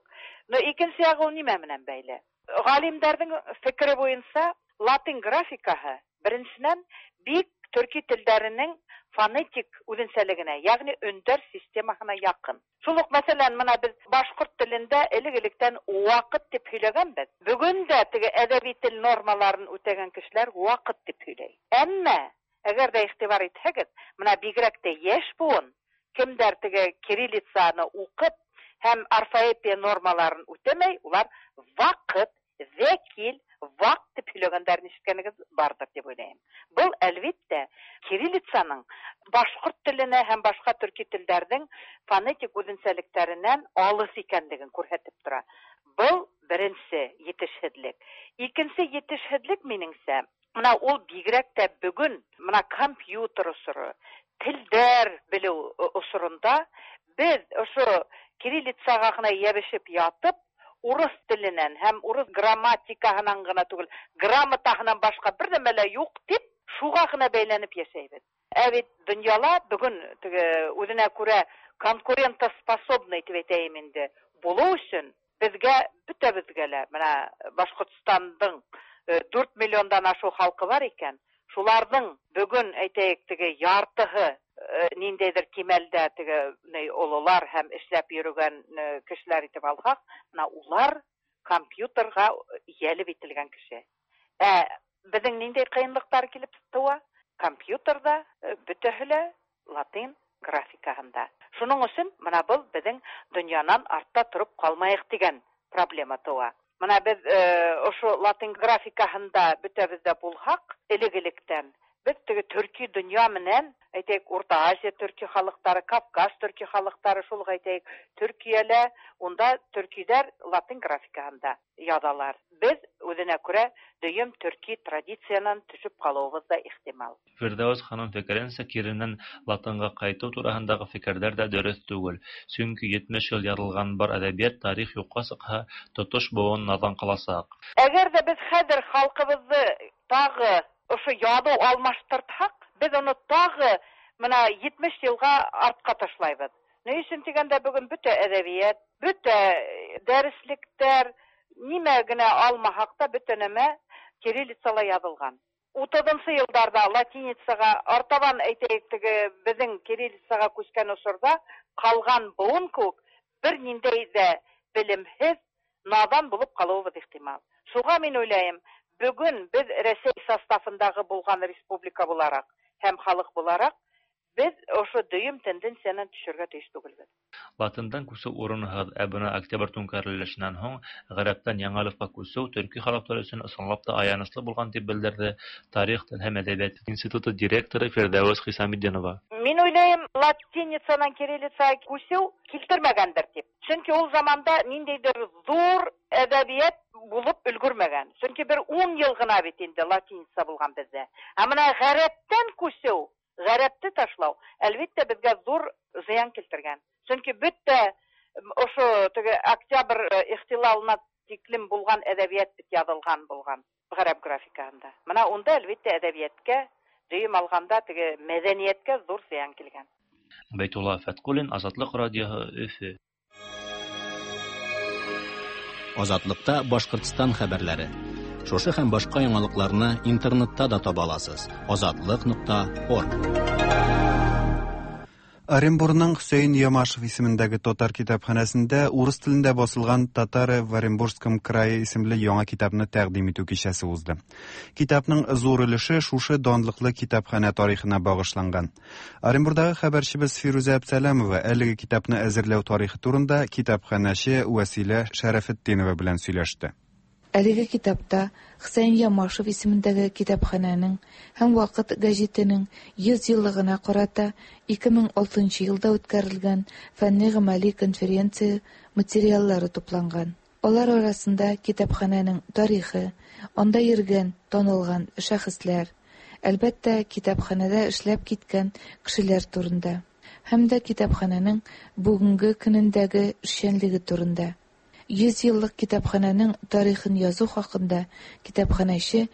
Но икенсе яғы ул нимә менән бәйле? Ғалимдарҙың фекере буйынса, латин графикаһы беренсенән бик төрки телдәренең фонетик үҙенсәлегенә, ягъни өндәр системаһына яҡын. Шул уҡ, мәҫәлән, мына беҙ башҡорт телендә элек-электән ваҡыт тип һөйләгәнбеҙ. Бөгөн дә теге әҙәби тел нормаларын үтәгән кешеләр ваҡыт тип һөйләй. Әммә әгәр ҙә иғтибар итһәгеҙ, мына бигерәк тә йәш быуын, кемдәр теге кириллицаны уҡып һәм орфоэпия нормаларын үтәмәй, улар ваҡыт, вәкил, ваҡ тип һөйләгәндәрен ишеткәнегеҙ барҙыр тип уйлайым. Был, әлбиттә, кириллицаның башҡорт теленә һәм башҡа төрки телдәрҙең фонетик үҙенсәлектәренән алыҫ икәнлеген күрһәтеп тора. Был беренсе етешһеҙлек. Икенсе етешһеҙлек, минеңсә, мына ул бигерәк тә бөгөн мына компьютер осоро, телдәр белеү осоронда беҙ ошо кириллицаға ғына йәбешеп ятып, урыҫ теленән һәм урыҫ грамматикаһынан ғына түгел, грамотаһынан башҡа бер нәмә лә юҡ тип, шуға ғына бәйләнеп йәшәйбеҙ. Ә бит донъяла бөгөн теге үҙенә күрә конкурентоспособный тип әйтәйем инде, булыу өсөн беҙгә, бөтәбеҙгә лә, мына Башҡортостандың дүрт миллиондан ашыу халҡы бар икән, шуларҙың бөгөн, әйтәйек, теге яртыһы ниндәйҙер кимәлдә теге ололар һәм эшләп йөрөгән кешеләр итеп алһаҡ, мына улар компьютерға йәлеп ителгән кеше. Ә беҙҙең ниндәй ҡыйынлыҡтар килеп тыуа? Компьютерҙа бөтәһе лә латин графикаһында. Шуның өсөн мына был беҙҙең донъянан артта тороп ҡалмайыҡ тигән проблема тыуа. Мына беҙ ошо латин графикаһында бөтәбеҙ ҙә булһаҡ, элек-электән беҙ теге төрки донъя менән, әйтәйек, Урта Азия төрки халыҡтары, Кавказ төрки халыҡтары, шул уҡ әйтәйек, Төркиәлә, унда төркиҙәр латин графикаһында яҙалар. Беҙ үҙенә күрә дөйөм төрки традициянан төшөп ҡалыуыбыҙ ҙа ихтимал. Фирҙәүес ханым фекеренсә, киренән латынға ҡайтыу тураһындағы фекерҙәр ҙә дөрөҫ түгел. Сөнки етмеш йыл яҙылған бар әҙәбиәт тарих юҡҡа сыҡһа, тотош быуын наҙан ҡаласаҡ. Әгәр ҙә беҙ хәҙер халҡыбыҙҙы тағы ошо яҙыу алмаштыртһаҡ, беҙ уны тағы мына етмеш йылға артҡа ташлайбыҙ. Ни өсөн тигәндә, бөгөн бөтә әҙәбиәт, бөтә дәреслектәр, нимә генә алмаһаҡ та, бөтә нәмә кириллицала яҙылған. Утыҙынсы йылдарҙа латиницаға артабан, әйтәйек, теге беҙҙең кириллицаға күскән осорҙа ҡалған быуын кеүек бер ниндәй ҙә белемһеҙ, наҙан булып ҡалыуыбыҙ ихтимал. Шуға мин уйлайым, бөгөн беҙ Рәсәй составындағы булған республика булараҡ һәм халыҡ булараҡ Без ошо дөйөм тенденциянан төшөргә тейеш түгелбеҙ. Латындан күсеү урынһыҙ, ә бына октябрь түңкәрелешенән һуң ғәрәптән яңы әлифбаға күсеү төрки халыҡтар өсөн ысынлап та аяныслы булған, тип белдерҙе Тарих, тел һәм әҙәбиәт институты директоры Фирҙәүес Хисаметдинова. Мин уйлайым, латиницанан кириллицаға күсеү килтермәгәндер тип. Сөнки ул заманда ниндәйҙер ҙур әҙәбиәт булып өлгөрмәгән. Сөнки бер ун йыл ғына бит инде латиница булған беҙҙә. Ә бына ғәрәптән күсеү, ғәрәпте ташлау, әлбиттә, беҙгә ҙур зыян килтергән. Сөнки бөтә ошо теге октябрь ихтилалына тиклем булған әҙәбиәт бит яҙылған булған ғәрәп графикаһында. Бына унда әлбиттә әҙәбиәткә, дөйөм алғанда теге мәҙәниәткә ҙур зыян килгән. Бәйтулла Фәтҡуллин, Азатлыҡ радиоһы, Өфө. Азатлыкта Башҡортостан хәбәрләре. Шушы һәм башҡа яңалыҡларны интернетта да таба аласыз. Азатлык нокта орг. Оренбурның Хөсәйен Ямашев исемендәге татар китапханәсендә урыс телендә басылган Татары в Оренбургском крае исемле яңа китапны тәкъдим итү кичәсе узды. Китапның зур өлеше шушы данлыклы китапханә тарихына багышланган. Оренбурдагы хәбәрчебез Фирүзә Әбсәләмова әлеге китапны әзерләү тарихы турында китапханәче Вәсилә Шәрәфетдинова белән сөйләште. Әлеге китапта Хөсәйен Ямашев исемендәге китапханәнең һәм Ваҡыт гәзитенең йөҙ йыллығына ҡарата ике мең алтынсы йылда үткәрелгән фәнни-ғәмәли конференция материаллары тупланған. Алар арасында китапханәнең тарихы, анда йөргән, танылган шәхесләр, әлбәттә, китапханәдә эшләп киткән кешеләр турында һәм дә китапханәнең бүгенге көнендәге эшчәнлеге турында. Йөҙ йыллыҡ китапханәнең тарихын языу хаҡында китапханәсе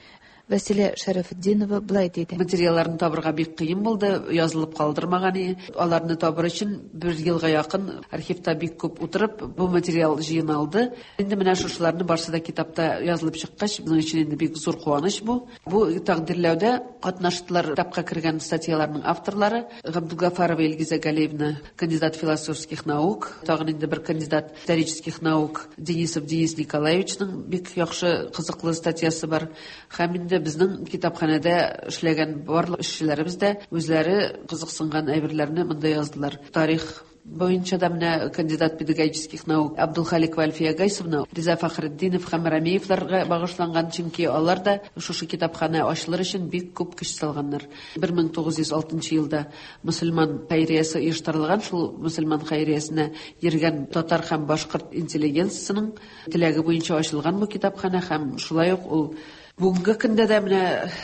Вәсилә Шәрәфетдинова былай тиде. Материалларны табырға бик ҡыйын булды, язылып ҡалдырмаған ине. Аларны табыр өсөн бер йылға яҡын архивта бик күп утырып, бу материал жыйналды. Инде менә шушыларны барсы да китапта язылып чыккач, безнең өчен инде бик зур ҡыуаныс бу. Бу тәҡдирләүҙә ҡатнаштылар китапҡа кергән статьяларның авторлары Габдулгафарова Илгизә Галиевна, кандидат философских наук, тағын инде бер кандидат исторических наук Денисов Денис Николаевичның бик яҡшы ҡыҙыҡлы статьясы бар. Һәм инде безнең китапханәдә эшләгән барлык эшчеләребез дә үзләре кызыксынган әйберләрне монда яздылар. Тарих буенча да менә кандидат педагогических наук Абдулхаликова Альфия Гайсовна, Риза Фәхретдинов һәм Рамеевларга багышланган, чөнки алар да шушы китапханә ачылыр өчен бик күп көч салганнар. бер мең тугыз йөз алтынчы елда мөселман хәйриясе оештырылган, шул мөселман хәйриясенә йөргән татар һәм башкорт интеллигенциясының теләге буенча ачылган бу китапханә һәм шулай ук ул бүгенге көндә дә менә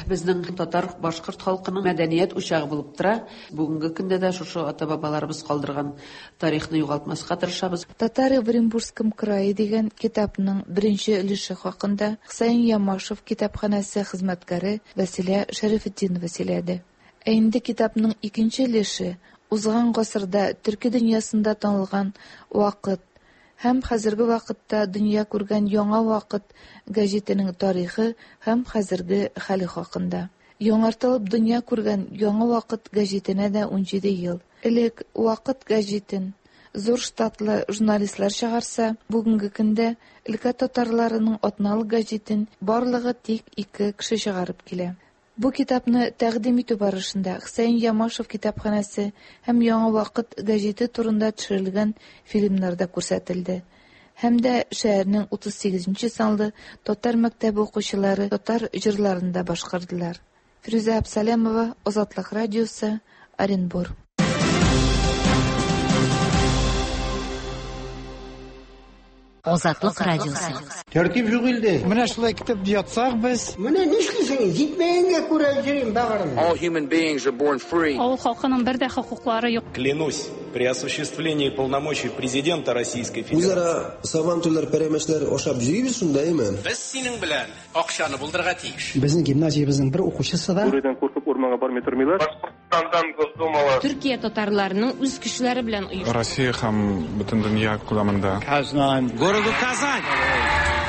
безнең татар башкорт халкының мәдәният учагы булып тора. Бүгенге көндә дә шушы ата-бабаларыбыз калдырган тарихны югалтмаска тырышабыз. Татары в Оренбургском крае дигән китапның беренче өлеше хакында Хөсәйен Ямашев китапханәсе хезмәткәре Вәсилә Шәрәфетдинова сөйләде. Ә инде китапның икенче өлеше узган гасырда төрки дөньясында танылган Ваҡыт һәм хәзерге ваҡытта дөнья күргән Яңа Ваҡыт гәзитенең тарихы һәм хәзерге хәле хакында. Яңартылып дөнья күргән Яңа Ваҡыт гәзитенә дә ун җиде ел. Элек Ваҡыт гәзитен зур штатлы журналистлар чыгарса, бүгенге көндә өлкә татарларының атналык гәзитен барлыгы тик ике кеше чыгарып килә. Бу китапны тәкъдим итү барышында Хөсәйен Ямашев китапханәсе һәм Яңа Ваҡыт гәзите турында төшерелгән фильмнар да күрсәтелде. Һәм дә шәһәрнең утыз сигеҙенсе санлы татар мәктәбе укучылары татар җырларын да башкардылар. Фирүзә Әбсәләмова, Азатлык радиосы, Оренбур. Азатлык радиосы. Тәртип юк илдә. Менә шулай китеп ятсак без. Менә нишлисең? Җитмәгәнгә күрә йөрим багырым. All human beings are born free. Авыл халкының бер дә хокуклары юк. Клянусь при осуществлении полномочий президента Российской Федерации. Үзара сабантуйлар, пәрәмәчләр ашап йөрибез шунда, әйме? Без синең белән акчаны булдырырга тиеш. Безнең гимназиябезнең бер укучысы да Бүредән куркып урманга бармый тормыйлар. Башкортстандан Госдумала. Төркия татарларының үз көчләре белән оештырган. Россия һәм бөтен дөнья күләмендә. Казань. Городу Казань.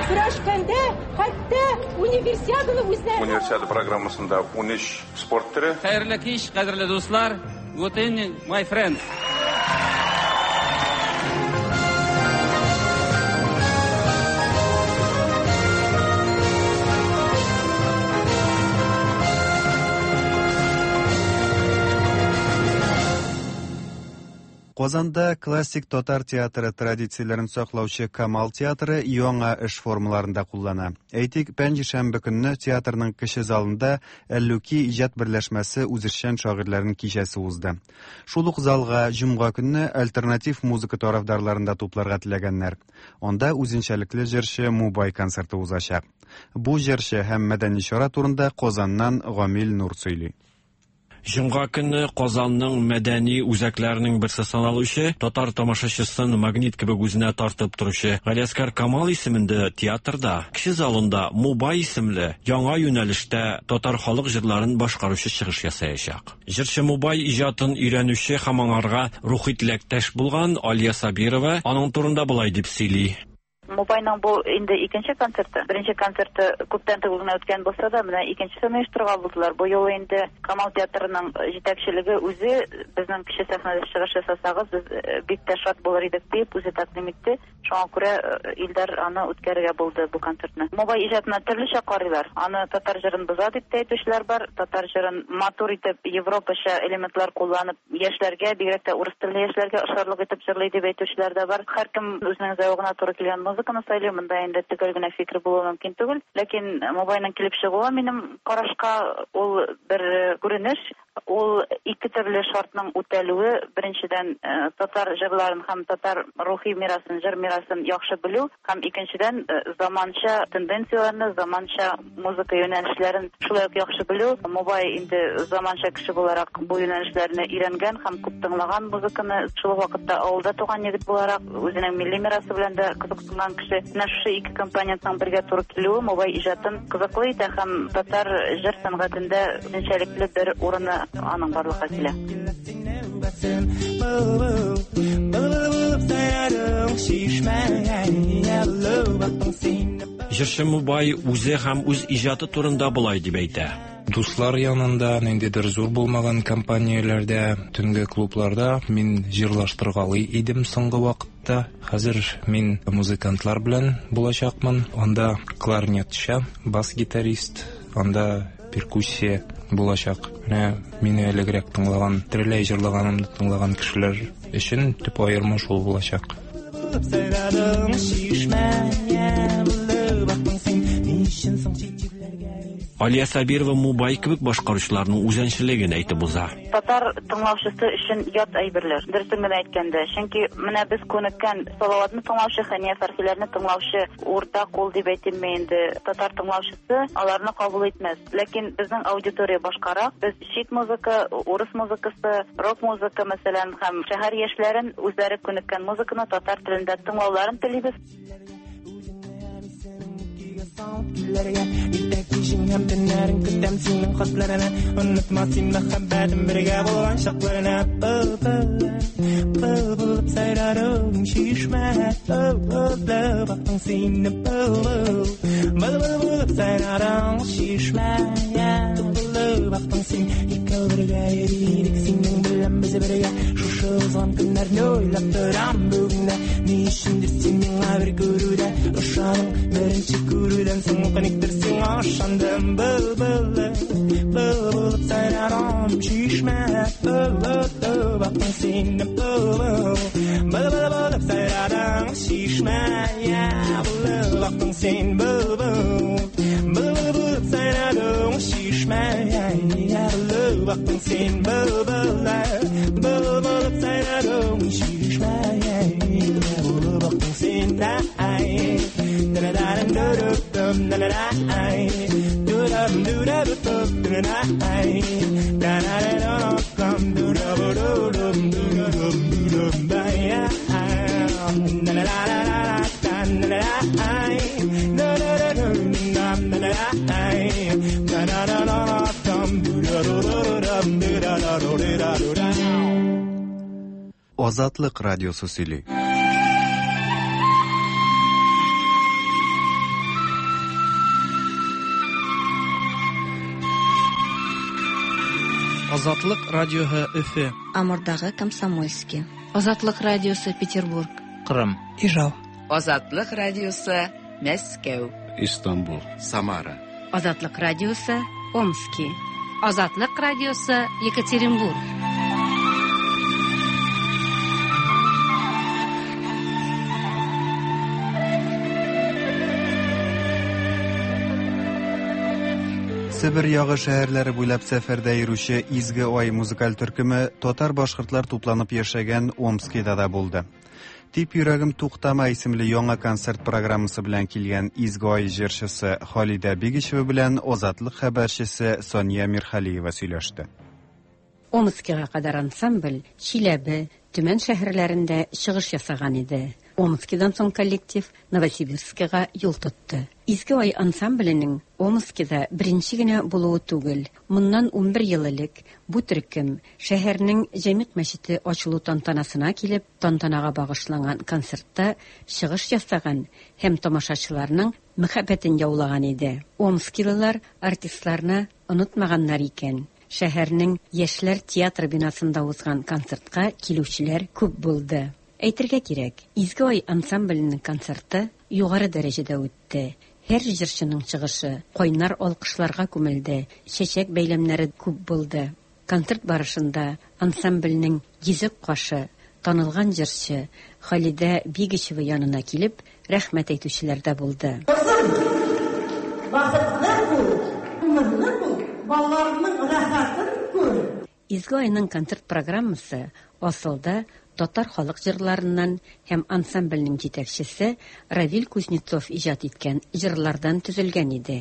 Көрәшкәндә хәтта универсиаданы үзләре. Универсиада программасында ун өч спорт төре. Хәерле кич, кадерле дуслар. Good evening, my friends. Казанда классик татар театры традицияләрен саклаучы Камал театры яңа эш формаларын да куллана. Әйтик, пәнҗешәмбе көнне театрның кече залында Әллүки иҗат берләшмәсе үзешчән шагыйрьләренең кичәсе узды. Шул ук залга җомга көнне альтернатив музыка тарафдарларын да тупларга теләгәннәр. Анда үзенчәлекле җырчы Мубай концерты узачак. Бу җырчы һәм мәдәни чара турында Казаннан Гамил Нур сөйли. Җомга көнне Казанның мәдәни үзәкләренең берсе саналучы, татар тамашачысын магнит кебек үзенә тартып торучы Галиәсгар Камал исемендә театрда, кече залында Мубай исемле яңа юнәлештә татар халык җырларын башкаручы чыгыш ясаячак. Җырчы Мубай иҗатын өйрәнүче һәм аңарга рухи теләктәш булган Алия Сабирова аның турында болай дип сөйли. Мубайның бу инде икенче концерты. Беренче концерты күптән түгел генә үткән булса да, менә икенчесен оештырырга булдылар. Бу юлы инде Камал театрының җитәкчелеге үзе безнең кече сәхнәдә чыгыш ясасагыз, без бик тә шат булыр идек дип үзе тәкъдим итте. Шуңа күрә Илдар аны үткәрергә булды бу концертны. Мубай иҗатына төрлечә карыйлар. Аны татар җырын боза дип тә әйтүчеләр бар. Татар җырын матур итеп, европача элементлар кулланып, яшьләргә, бигрәк тә урыс телле яшьләргә ошарлык итеп җырлый дип әйтүчеләр дә бар. Һәркем үзенең зәвыгына туры килгән музыканы сайлый. Монда инде төгәл генә фикер булуы мөмкин түгел. Ләкин Мубайның килеп чыгуы минем карашка ул бер күренеш. Ул ике төрле шартның үтәлүе. Беренчедән, татар җырларын һәм татар рухи мирасын, җыр мирасын яхшы белү, һәм икенчедән, заманча тенденцияләрне, заманча музыка юнәлешләрен шулай ук яхшы белү. Мубай инде заманча кеше буларак бу юнәлешләрне өйрәнгән һәм күп тыңлаган музыканы. Шул ук вакытта авылда туган егет буларак үзенең милли мирасы белән дә кызыксынган кеше. Менә шушы ике компонентның бергә туры килүе Мубай иҗатын кызыклы итә һәм татар җыр сәнгатендә үзенчәлекле бер урыны аның барлыкка килә. Җырчы Мубай үзе һәм үз иҗаты турында болай дип әйтә. Дуслар янында, ниндидер зур булмаган компанияләрдә, төнге клубларда мин җырлаштыргалый идем соңгы вакытта. Хәзер мин музыкантлар белән булачакмын. Анда кларнетчы, бас-гитарист, анда перкуссия булачак. Менә мине элегрәк тыңлаган, тереләй җырлаганымны тыңлаган кешеләр өчен төп аерма шул булачак. Алия Сабирова Мубай кебек башкаручыларның үзенчәлеген әйтеп уза. Татар тыңлаучысы өчен ят әйберләр, дөресен генә әйткәндә. Чөнки менә без күнеккән Салаватны тыңлаучы, Хәния Фәрхиләрне тыңлаучы урта кул дип әйтимме инде, татар тыңлаучысы аларны кабул итмәс. Ләкин безнең аудитория башкарак. Без чит музыка, урыс музыкасы, рок музыка мәсәлән, һәм шәһәр яшьләрен үзләре күнеккән музыканы татар телендә тыңлауларын телибез. Азатлык радиосы сөйли. Азатлык радиосы Өфе. Амурдагы Комсомольский. Азатлык радиосы Петербург. Кырым. Ижау. Азатлык радиосы Мәскәү. Истанбул. Самара. Азатлык радиосы Омский. Азатлык радиосы Екатеринбург. Себер ягы шәһәрләре буйлап сәфәрдә йөрүче Изге Ай музыкаль төркеме татар-башкортлар тупланып яшәгән Омскида да булды. Тип йөрәгем туктама исемле яңа концерт программасы белән килгән Изге Ай җырчысы Халидә Бигичева белән Азатлык хәбәрчесе Сания Мирхалиева сөйләште. Омскига кадәр ансамбль Чиләбе, Төмән шәһәрләрендә чыгыш ясаган иде. Омскидан соң коллектив Новосибирскига юл тотты. Изге Ай ансамбленең Омскида беренче генә булуы түгел. Моннан унбер ел элек бу төркем шәһәрнең Җәмигъ мәчете ачылу тантанасына килеп, тантанага багышланган концертта чыгыш ясаган һәм тамашачыларның мәхәббәтен яулаган иде. Омскилылар артистларны онытмаганнар икән. Шәһәрнең Яшьләр театр бинасында узган концертка килүчеләр күп булды. Әйтергә кирәк, Изге Ай ансамбленең концерты югары дәрәҗәдә үтте. Һәр җырчының чыгышы кайнар алкышларга күмелде, чәчәк бәйләмнәре күп булды. Концерт барышында ансамбльнең йөзек кашы, танылган җырчы Халидә Бигичева янына килеп, рәхмәт әйтүчеләр дә булды. Кызым, бәхетле бул, күңелле бул, балаларның рәхәтен күр. Изге Айның концерт программасы асылда татар халык җырларыннан һәм ансамбльнең җитәкчесе Равил Кузнецов иҗат иткән җырлардан төзелгән иде.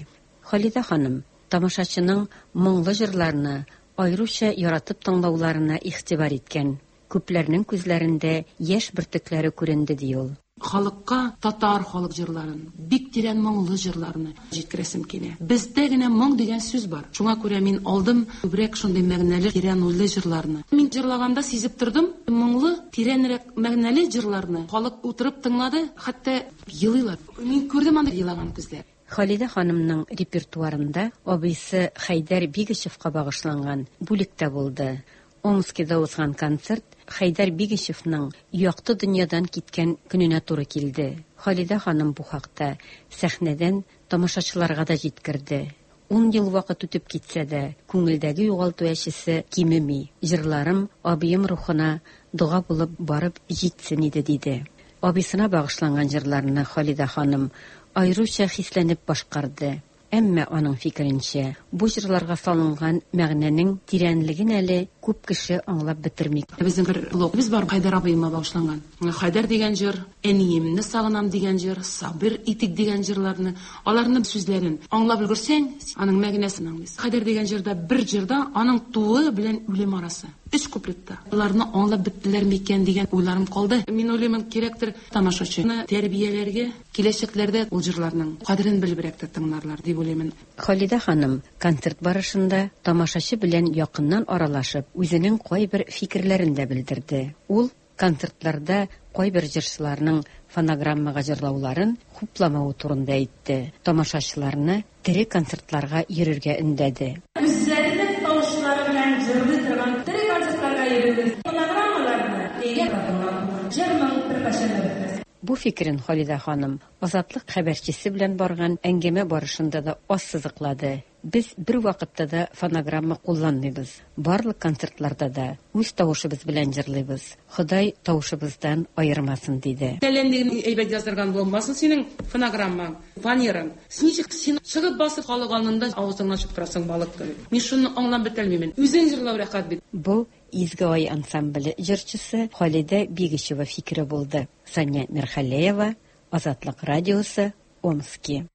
Халидә ханым тамашачының моңлы җырларны аеруча яратып тыңлауларына игътибар иткән. Күпләрнең күзләрендә яшь бөртекләре күренде, ди ул. Халыкка татар халык җырларын, бик тирән моңлы җырларны җиткерәсем килә. Бездә генә моң дигән сүз бар. Шуңа күрә мин алдым күбрәк шундый мәгънәле, тирән уйлы җырларны. Мин җырлаганда сизеп тордым, моңлы, тирәнрәк мәгънәле җырларны халык утырып тыңлады, хәтта елыйлар. Мин күрдем анда елаган күзләр. Халидә ханымның репертуарында абыйсы Хәйдәр Бигичевка багышланган бүлек тә булды. Омскида узган концерт Хәйдәр Бигичевның якты дөньядан киткән көненә туры килде. Халидә ханым бу хакта сәхнәдән тамашачыларга да җиткерде. Ун ел вакыт үтеп китсә дә, күңелдәге югалту әчесе кимеми. Җырларым абыем рухына дога булып барып җитсен иде, диде. Абыйсына багышланган җырларны Халидә ханым аеруча хисләнеп башкарды. Әмма аның фикеренчә, бу җырларга салынган мәгънәнең тирәнлеген әле күп кеше аңлап бетерми. Безнең бер блогыбыз бар, Хәйдәр абыема багышланган. Хәйдәр дигән җыр, әниемне сагынам дигән җыр, сабыр итик дигән җырларны, аларның сүзләрен аңлап өлгерсәң, аның мәгънәсен аңлыйсың. Хәйдәр дигән җырда бер җырда аның тууы белән үлем арасы. Өч куплетта. Аларны аңлап беттеләр микән дигән уйларым калды. Мин уйлыйм, кирәктер тамашачыны тәрбияләргә, киләчәкләрдә ул җырларның кадерен белебрәк тә тыңларлар дип уйлыйм. Халидә ханым концерт барышында тамашачы белән якыннан аралашып, үзенең кайбер фикерләрен дә белдерде. Ул концертларда кайбер җырчыларның фонограммага җырлауларын хупламавы турында әйтте. Тамашачыларны тере концертларга йөрергә өндәде. Үзләренең тавышлары белән җырлый торган тере концертларга йөрегез. Фонограммаларны өйгә тыңлап, җыр-моң беркайчан да бетмәс. Бу фикерен Халидә ханым Азатлык хәбәрчесе белән барган әңгәмә барышында да ассызыклады. Без бер вакытта да фонограмма кулланмыйбыз. Барлык концертларда да үз тавышыбыз белән җырлыйбыз. Ходай тавышыбыздан аермасын, диде. Тәләндеген әйбәт яздырган булмасын синең фонограммаң, фанераң. Ничек син чыгып басып халык алдында авызыңнан чыгып торасың балык кебек. Мин шуны аңлап бетәлмимен. Үзең җырлау рәхәт бит. Бу Изге Ай ансамбле җырчысы Халидә Бигичева фикере булды. Сания Мирхалеева, Азатлык радиосы, Омски.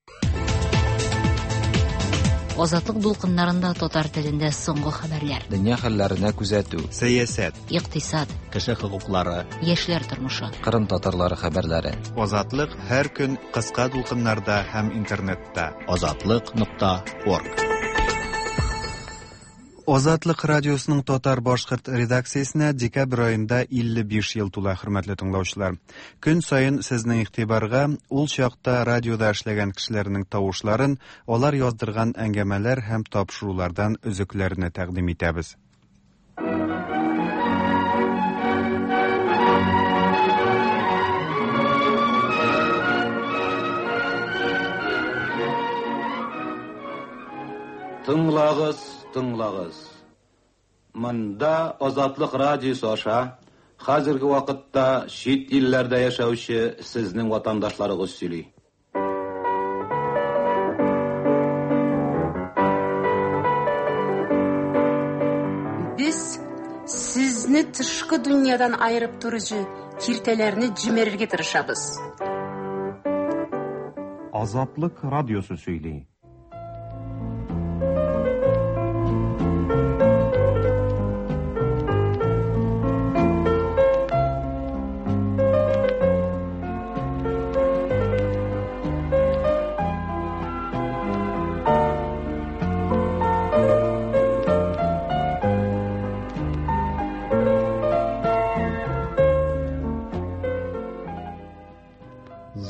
Азатлык дулкыннарында татар телендә соңгы хәбәрләр. Дөнья хәлләренә күзәтү, сәясәт, икътисад, кеше хокуклары, яшьләр тормышы, Кырым татарлары хәбәрләре. Азатлык һәр көн кыска дулкыннарда һәм интернетта. Азатлык нокта орг. Азатлык радиосының татар-башкорт редакциясенә декабрь аенда илле биш ел тула, хөрмәтле тыңлаучылар. Көн саен сезнең игътибарга ул чакта радиода эшләгән кешеләрнең тавышларын, алар яздырган әңгәмәләр һәм тапшырулардан өзекләрне тәкъдим итәбез. Тыңлагыз, тыңлагыз. Монда Азатлык радиосы аша хәзерге вакытта чит илләрдә яшәүче сезнең ватандашларыгыз сөйли. Безне тышкы дөньядан аерып торучы киртәләрне җимерергә тырышабыз. Азатлык радиосы сөйли.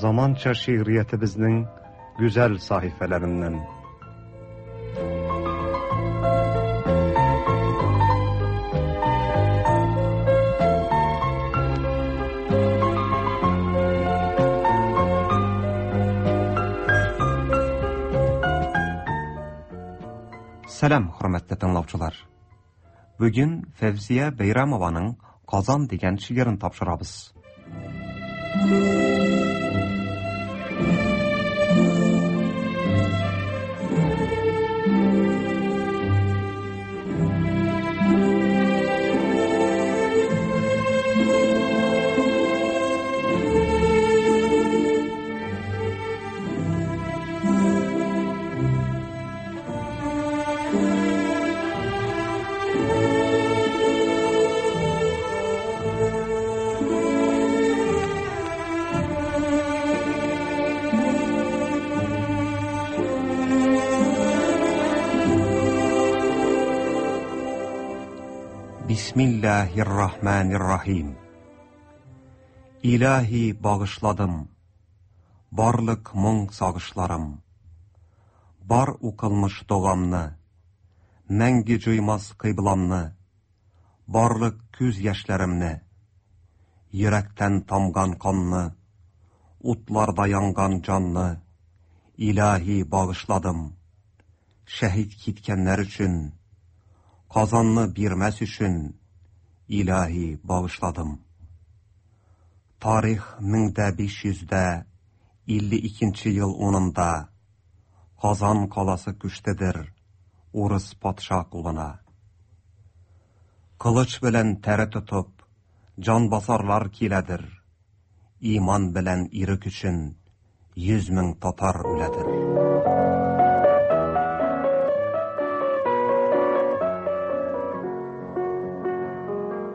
Zamanca şiiriyetimizin güzel sahifelerinden. Сәлам, хөрмәтле тыңлаучылар. Бүген Фәүзия Бәйрәмованың Казан дигән шигырен тапшырабыз. Bismillahirrahmanirrahim. İlahi bağışladım, barlıq моң сагышларым, бар укылмыш доғамны, мәңге җуймас кыйбламны, барлык күз яшьләремне, йөрәктән тамган канны, утларда янган җанны, илаһи багышладым, шәһид киткәннәр өчен, Казанны бирмәс өчен, илаһи багышладым. Тарих мең дә биш йөздә илле икенче ел унында Казан каласы күчтедер урыс патша кулына. Кылыч белән тәре тотып, җан басарлар киләдер. Иман белән ирек өчен йөз мең татар үләдер.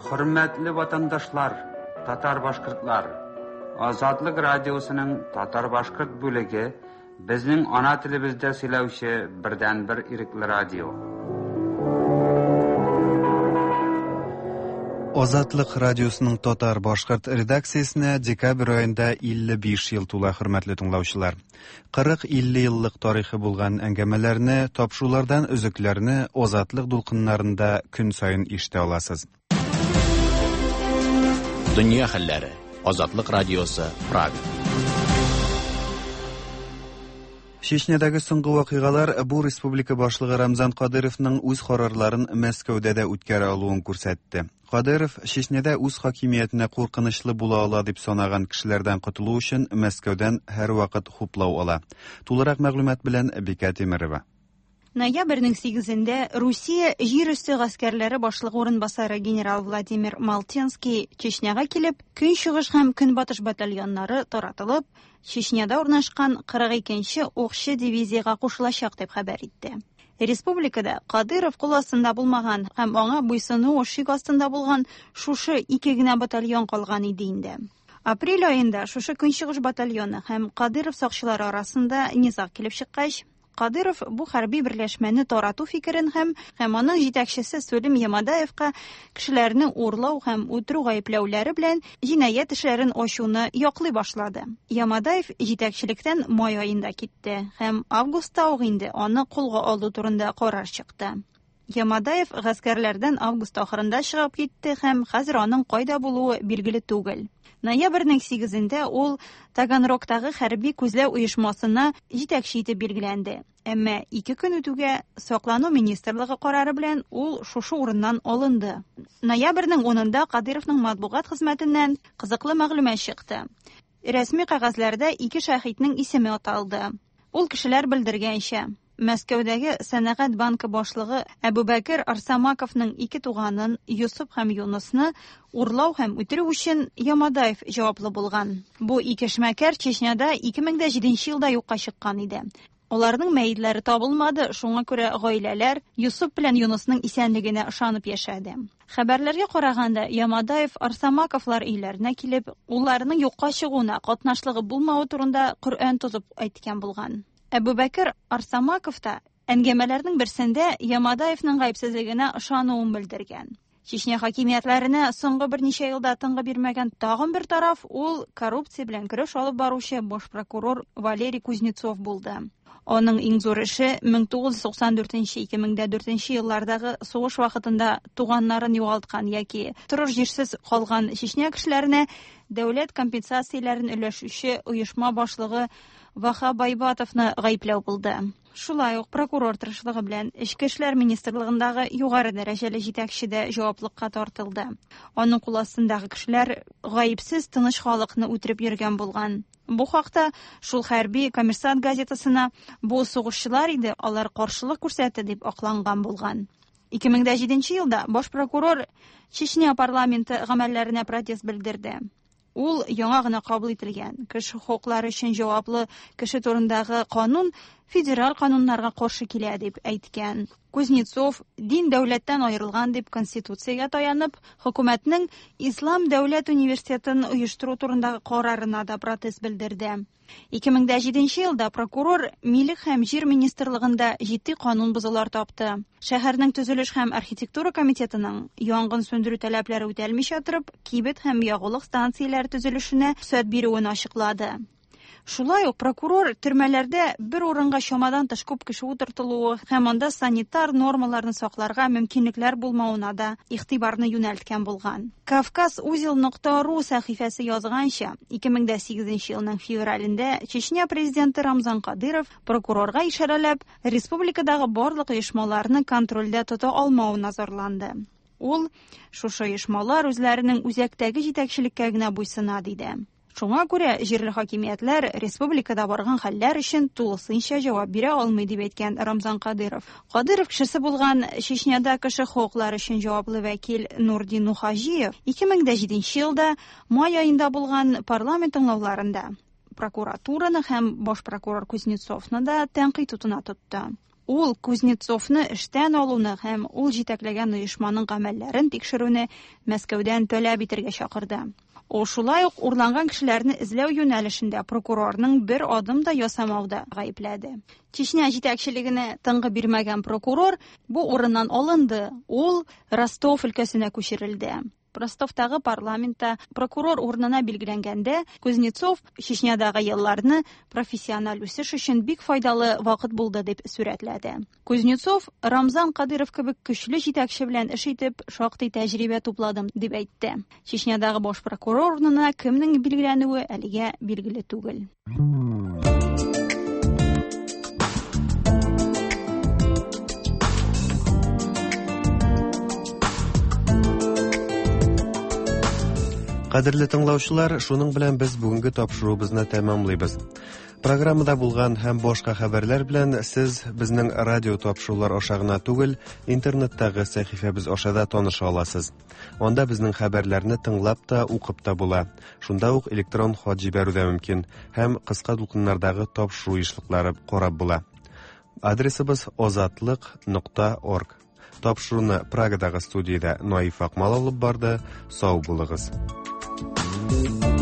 Хөрмәтле ватандашлар, татар-башкортлар, Азатлык радиосының татар-башкорт бүлеге безнең ана телебездә сөйләүче бердәнбер ирекле радио. Азатлык радиосының татар-башкорт редакциясенә декабрь аенда илле биш ел тула, хөрмәтле тыңлаучылар. Кырык-илле еллык тарихы булган әңгәмәләрне, тапшырулардан өзекләрне Азатлык дулкыннарында көн саен ишетә аласыз. Дөнья хәлләре. Азатлык радиосы, Прага. Чечнядагы соңгы вакыйгалар бу республика башлыгы Рамзан Кадыровның үз карарларын Мәскәүдә дә үткәрә алуын күрсәтте. Кадыров Чечняда үз хакимиятенә куркынычлы була ала дип санаган кешеләрдән котылу өчен Мәскәүдән һәрвакыт хуплау ала. Тулырак мәгълүмат белән Бикә Тимирова. Ноябрьнең сигезендә Русия җир өсте гаскәрләре башлыгы урынбасары генерал Владимир Малтенский Чечняга килеп, Көнчыгыш һәм Көнбатыш батальоннары таратылып, Чечняда урнашкан кырык икенче укчы дивизиягә кушылачак дип хәбәр итте. Республикада Кадыров кул астында булмаган һәм аңа буйсыну шик астында булган шушы ике генә батальон калган иде инде. Апрель аенда шушы Көнчыгыш батальоны һәм Кадыров сакчылары арасында низаг килеп чыккач, Кадыров бу хәрби берләшмәне тарату фикерен һәм һәм аның җитәкчесе Сулим Ямадаевка кешеләрне урлау һәм үтерү гаепләүләре белән җинаять эшләрен ачуны яклый башлады. Ямадаев җитәкчелектән май аенда китте һәм августта ук инде аны кулга алу турында карар чыкты. Ямадаев гаскәрләрдән август ахырында чыгып китте һәм хәзер аның кайда булуы билгеле түгел. Ноябрьнең сигезендә ул Таганрогтагы хәрби күзләү оешмасына җитәкче итеп билгеләнде. Әмма ике көн үтүгә Саклану министрлыгы карары белән ул шушы урыннан алынды. Ноябрьнең унында Кадыровның матбугат хезмәтеннән кызыклы мәгълүмат чыкты. Рәсми кәгазьләрдә ике шәһиднең исеме аталды. Ул кешеләр белдергәнчә, Мәскәүдәге Сәнәгать банкы башлыгы Әбүбәкер Арсамаковның ике туганын Йосып һәм Юнысны урлау һәм үтерү өчен Ямадаев җаваплы булган. Бу ике эшмәкәр Чечняда ике мең дә җиденче елда юкка чыккан иде. Аларның мәетләре табылмады, шуңа күрә гаиләләр Йосып белән Юнысның исәнлегенә ышанып яшәде. Хәбәрләргә караганда, Ямадаев Арсамаковлар өйләренә килеп, улларының юкка чыгуына катнашлыгы булмавы турында Коръән тотып әйткән булган. Әбүбәкер Арсамаков та әңгәмәләрнең берсендә Ямадаевның гаепсезлегенә ышануын белдергән. Чечня хакимиятләренә соңгы берничә елда тынгы бирмәгән тагын бер тараф ул коррупция белән көрәш алып баручы баш прокурор Валерий Кузнецов булды. Аның иң зур эше мең тугыз йөз туксан дүртенче ике мең дә дүртенче еллардагы сугыш вакытында туганнарын югалткан яки торыр җирсез калган Чечня кешеләренә дәүләт компенсацияләрен өләшүче оешма башлыгы Ваха Байбатовны гаепләү булды. Шулай ук прокурор тырышлыгы белән Эчке эшләр министрлыгындагы югары дәрәҗәле җитәкче дә җаваплыкка тартылды. Аның кул астындагы кешеләр гаепсез тыныч халыкны үтереп йөргән булган. Бу хакта шул хәрби Коммерсант газетасына бу сугышчылар иде, алар каршылык күрсәтте дип акланган булган. ике мең дә җиденче елда баш прокурор Чечня парламенты гамәлләренә протест белдерде. Ул яңа гына кабул ителгән кеше хокуклары өчен җаваплы кеше турындагы канун федераль кануннарга каршы килә дип әйткән. Кузнецов дин дәүләттән аерылган дип конституциягә таянып, хөкүмәтнең Ислам дәүләт университетын оештыру турындагы карарына да протест белдерде. ике мең дә җиденче елда прокурор Милек һәм җир министрлыгында җитди канун бозулар тапты. Шәһәрнең төзелеш һәм архитектура комитетының янгын сүндерү таләпләре үтәлмичә торып, кибет һәм ягулык станцияләре төзелешенә рөхсәт бирүен ачыклады. Шулай ук прокурор төрмәләрдә бер урынга чамадан тыш күп кеше утыртылуы һәм анда санитар нормаларны сакларга мөмкинлекләр булмавына да игътибарны юнәлткән булган. Кавказ узел нокта ру сәхифәсе язганча, ике мең дә сигезенче елның февралендә Чечня президенты Рамзан Кадыров прокурорга ишарәләп, республикадагы барлык оешмаларны контрольдә тота алмавына зарланды. Ул шушы оешмалар үзләренең үзәктәге җитәкчелеккә генә буйсына диде. Шуңа күрә җирле хакимиятләр республикада барган хәлләр өчен тулысынча җавап бирә алмый дип әйткән Рамзан Кадыров. Кадыров кешесе булган Чечняда кеше хокуклары өчен җаваплы вәкил Нурдин Нухаҗиев ике мең дә җиденче елда май аенда булган парламент тыңлауларында прокуратураны һәм баш прокурор Кузнецовны да тәнкыйть утына тотты. Ул Кузнецовны эштән алуны һәм ул җитәкләгән оешманың гамәлләрен тикшерүне Мәскәүдән таләп итәргә чакырды. Ул шулай ук урланган кешеләрне эзләү юнәлешендә прокурорның бер адым да ясамауда гаепләде. Чечня җитәкчелегенә тынгы бирмәгән прокурор бу урыннан алынды. Ул Ростов өлкәсенә күчерелде. Ростовтагы парламентта прокурор урынына билгеләнгәндә Кузнецов Чечнядагы елларны профессиональ үсеш өчен бик файдалы вакыт булды дип сурәтләде. Кузнецов Рамзан Кадыров кебек көчле җитәкче белән эш итеп шактый тәҗрибә тупладым дип әйтте. Чечнядагы баш прокурор урынына кемнең билгеләнүе әлегә билгеле түгел. Кадерле тыңлаучылар, шуның белән без бүгенге тапшыруыбызны тәмамлыйбыз. Программада булган һәм башка хәбәрләр белән сез безнең радио тапшырулар аша гына түгел, интернеттагы сәхифәбез аша да таныша аласыз. Анда безнең хәбәрләрне тыңлап та, укып та була. Шунда ук электрон хат җибәрү дә мөмкин һәм кыска дулкыннардагы тапшыру ешлыклары карап була. Адресыбыз озатлык нокта орг. Тапшыруны Прагадагы студиядә Наиф Акмал алып барды. Сау булыгыз. Thank you.